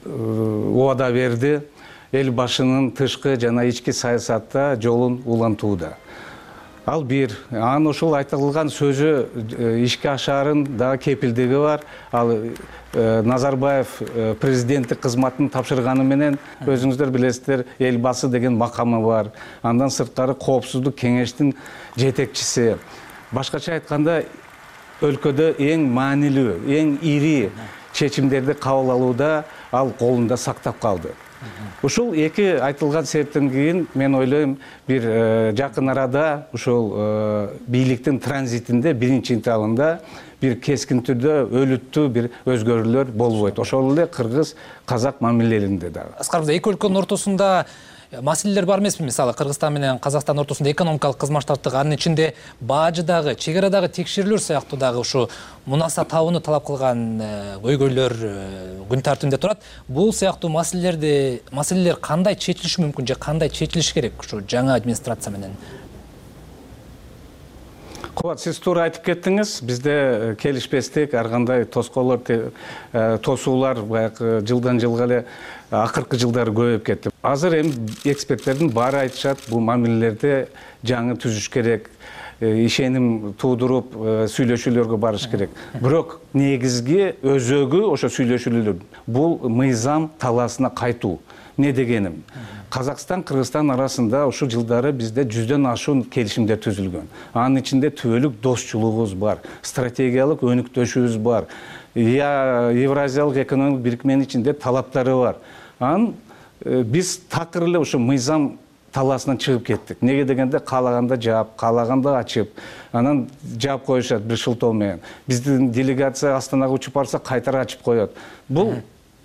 убада берди, эл башынын тышкы жана ички саясатта жолун улантууда. Ал бир, анын ошол айтылган сөзү ишке ашаарын да кепилдиги бар. Ал Назарбаев президенттик кызматын тапшырганы менен өзүңүздөр билесиздер, эл басы деген макамы бар. Андан сырткары коопсуздук кеңештин жетекчиси. Башкача айтканда, өлкөдө эң маанилүү, эң ири чечимдерди кабыл алууда ал колунда сактап калды. Ушул эки айтылган себептен кийин мен ойлойм, бир жакын арада ушул бийликтин транзитинде биринчи этабында бир кескин түрдө өлүттүү бир өзгөрүүлөр болбойт. Ошол эле кыргыз-казак мамилелеринде дагы. Аскар мырза, эки өлкөнүн ортосунда маселелер бар эмеспи? Мисалы Кыргызстан менен Казакстан ортосунда экономикалык кызматташтык, анын ичинде бажыдагы, чек арадагы текшерүүлөр сыяктуу дагы ушу мунаса табууну талап кылган көйгөйлөр күн тартибинде турат. Бул сыяктуу маселелер кандай чечилиши мүмкүн же кандай чечилиш керек ушу жаңы администрация менен? Кубат, сиз туура айтып кеттиңиз. Бизде келишпестик, ар кандай тоскоолор, тосуулар баягы жылдан жылга эле акыркы жылдары көбөйүп кетти. Азыр эми эксперттердин баары айтышат, бул мамилелерди жаңы түзүш керек. ишеним туудуруп сүйлөшүүлөргө барыш керек. Бирок негизги өзөгү ошо сүйлөшүүлөр. Бул мыйзам талаасына кайтуу. Не дегеним? Казакстан, Кыргызстан арасында ушул жылдары бизде 100дөн ашуун келишимдер түзүлгөн. Анын ичинде түбөлүк достчулугубуз бар, стратегиялык өнүктөшүбүз бар. Евразиялык экономикалык бирикменин ичинде талаптары бар. Анан биз такыр эле ошо мыйзам талаасынан чыгып кеттик. Неге дегенде каалаганда жаап, каалаганда ачып, анан жаап коюшат бир шылтоо менен. Биздин делегация Астанага учуп барса кайтара ачып коет. Бул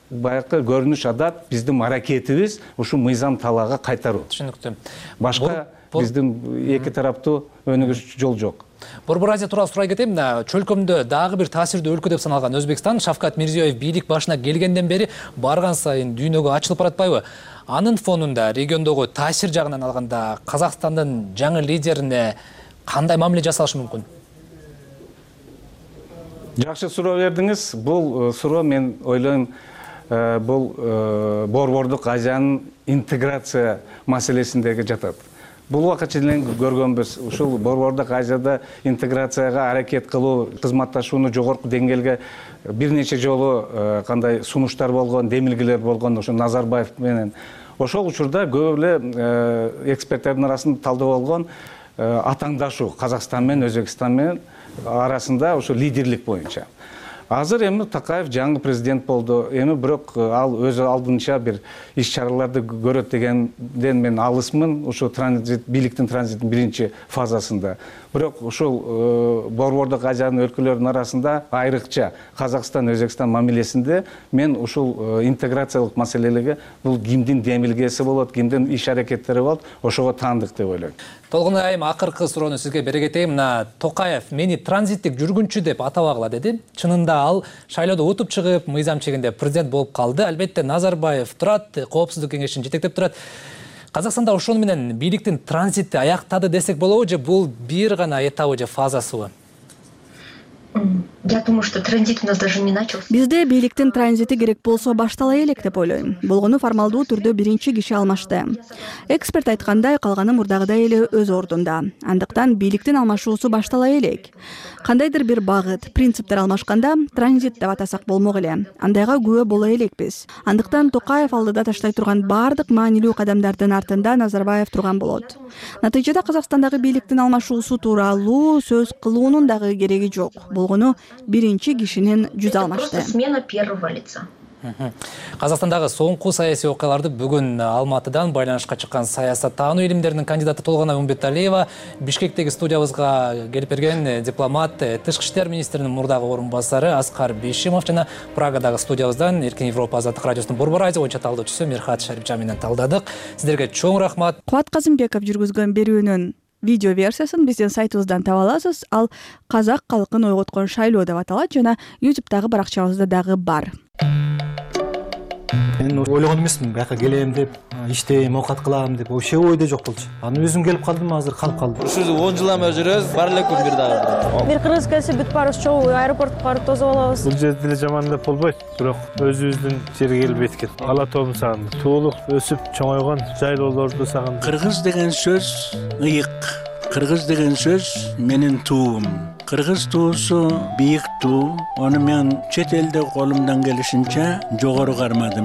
баягы көрүнүш адат, биздин аракетибиз ушу мыйзам талаага кайтаруу. Түшүнүктүү. Башка биздин эки тараптуу өнүгүш жол жок. Борбор Азия тууралуу сурай кетейин. Чөлкөмдө дагы бир таасирдүү өлкө деп саналган Өзбекстан Шавкат Мирзиёев бийлик башына келгенден бери барган сайын дүйнөгө ачылып баратпайбы? Анын фонунда региондогу таасир жагынан алганда Казакстандын жаңы лидерине кандай мамиле жасалышы мүмкүн? Жакшы суроо бердиңиз. Бул суроо мен ойлойм бул Борбордук Азиянын интеграция маселесиндеги жатат. Бул убакытча эле көргөнбүз. Ушул Борбордук Азияда интеграцияга аракет кылуу, кызматташууну жогорку деңгээлге бир нече жолу кандай сунуштар болгон, демилгелер болгон ошо Назарбаев менен. Ошол учурда көп эле эксперттердин арасында талдоо болгон атаңдашуу Казакстан менен Өзбекстан менен арасында ошо лидерлик боюнча. Азыр эми Такаев жаңы президент болду. Эми бирок ал өзү алдынча бир иш-чараларды көрөт дегенден мен алысмын. Ошо бийликтин транзиттин биринчи фазасында. Бирок ушул Борбордук Азиянын өлкөлөрүнүн арасында айрыкча Казакстан, Өзбекстан мамилесинде мен ушул интеграциялык маселелерге бул кимдин демилгеси болот, кимдин иш-аракеттери болот, ошого таандык деп ойлойм. Толгон айым акыркы суроону сизге бере кетейин. Токаев мени транзиттик жүргүнчү деп атабагыла деди. Чынында ал шайлоодо утуп чыгып, мыйзам чегинде президент болуп калды. Албетте Назарбаев турат, Коопсуздук кеңешин жетектеп турат. Казакстанда ошону менен бийликтин транзити аяктады десек болобу же бул бир гана этабы же фазасыбы? Я думаю, что транзит у нас даже не начался. Бизде бийликтин транзити керек болсо баштала элек деп ойлойм. Болгону формалдуу түрдө биринчи киши алмашты. Эксперт айткандай, калганы мурдагыдай эле өз ордунда. Андыктан бийликтин алмашуусу баштала элек. Кандайдыр бир багыт, принциптер алмашканда транзит деп атасак болмок эле. Андайга күбө боло элекпиз. Андыктан Токаев алдыда таштай турган бардык маанилүү кадамдардын артында Назарбаев турган болот. Натыйжада Казакстандагы бийликтин алмашуусу тууралуу сөз кылуунун дагы кереги жок. Болгону биринчи кишинин жүзү алмашты. Просто смена первого лица. Казакстандагы соңку саясий окуяларды бүгүн Алматыдан байланышка чыккан саясаттануу илимдеринин кандидаты Толгонай Умбеталиева Бишкектеги студиябызга келип берген дипломат, тышкы иштер министринин мурдагы орун басары Аскар Бишимов жана Прагадагы студиябыздан Эркин Европа азаттык радиосунун Борбор Азия боюнча талдоочусу Мирхат Шарипжан менен талдадык. Сиздерге чоң рахмат. Кубат Казымбеков жүргүзгөн берүүнүн видео версиясын биздин сайтыбыздан таба аласыз. Ал казак калкын ойготкон шайлоо деп аталат жана YouTube'дагы баракчабызда дагы бар. Мен ойлогон эмесмин бияка келем деп, иштейм, оокат кылам деп, вообще ойдо жок болчу. Анан өзүм келип калдым, азыр калып калдым. Ушул 10 жылдан бери жүрөбүз, бар эле күн бир дагы. Бир кыргыз келсе бүт баарыбыз чогуу аэропортко барып тосуп алабыз. Бул жерде деле жаман деп болбойт, бирок өзүбүздүн жерге келип эткен. Ала тоом сагындым. Туулук, өсүп чоңойгон жайлоолорду сагындым. Кыргыз деген сөз ыйык. Кыргыз деген сөз менин туум. Кыргыз туусу бийик туу. Ону мен чет элде колумдан келишинче жогору кармадым.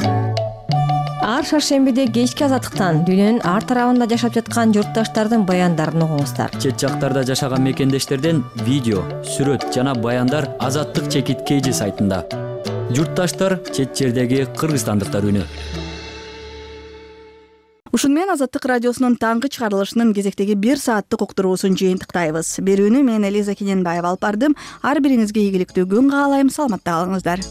Ар шаршембиде кечки азаттыктан дүйнөнүн ар тарабында жашап жаткан журтташтардын баяндарын угуңуздар. Чет жактарда жашаган мекендештерден видео, сүрөт жана баяндар Азаттык чекит KG сайтында. Журтташтар чет жердеги кыргызстандыктар үнү. Ушун менен Азаттык радиосунун таңкы чыгарылышынын кезектеги 1 сааттык уктуруусун жыйынтыктайбыз. Берүүнү мен Элиза Кененбаева алып бардым. Ар бириңизге ийгиликтүү күн каалайм. Саламатта калыңыздар.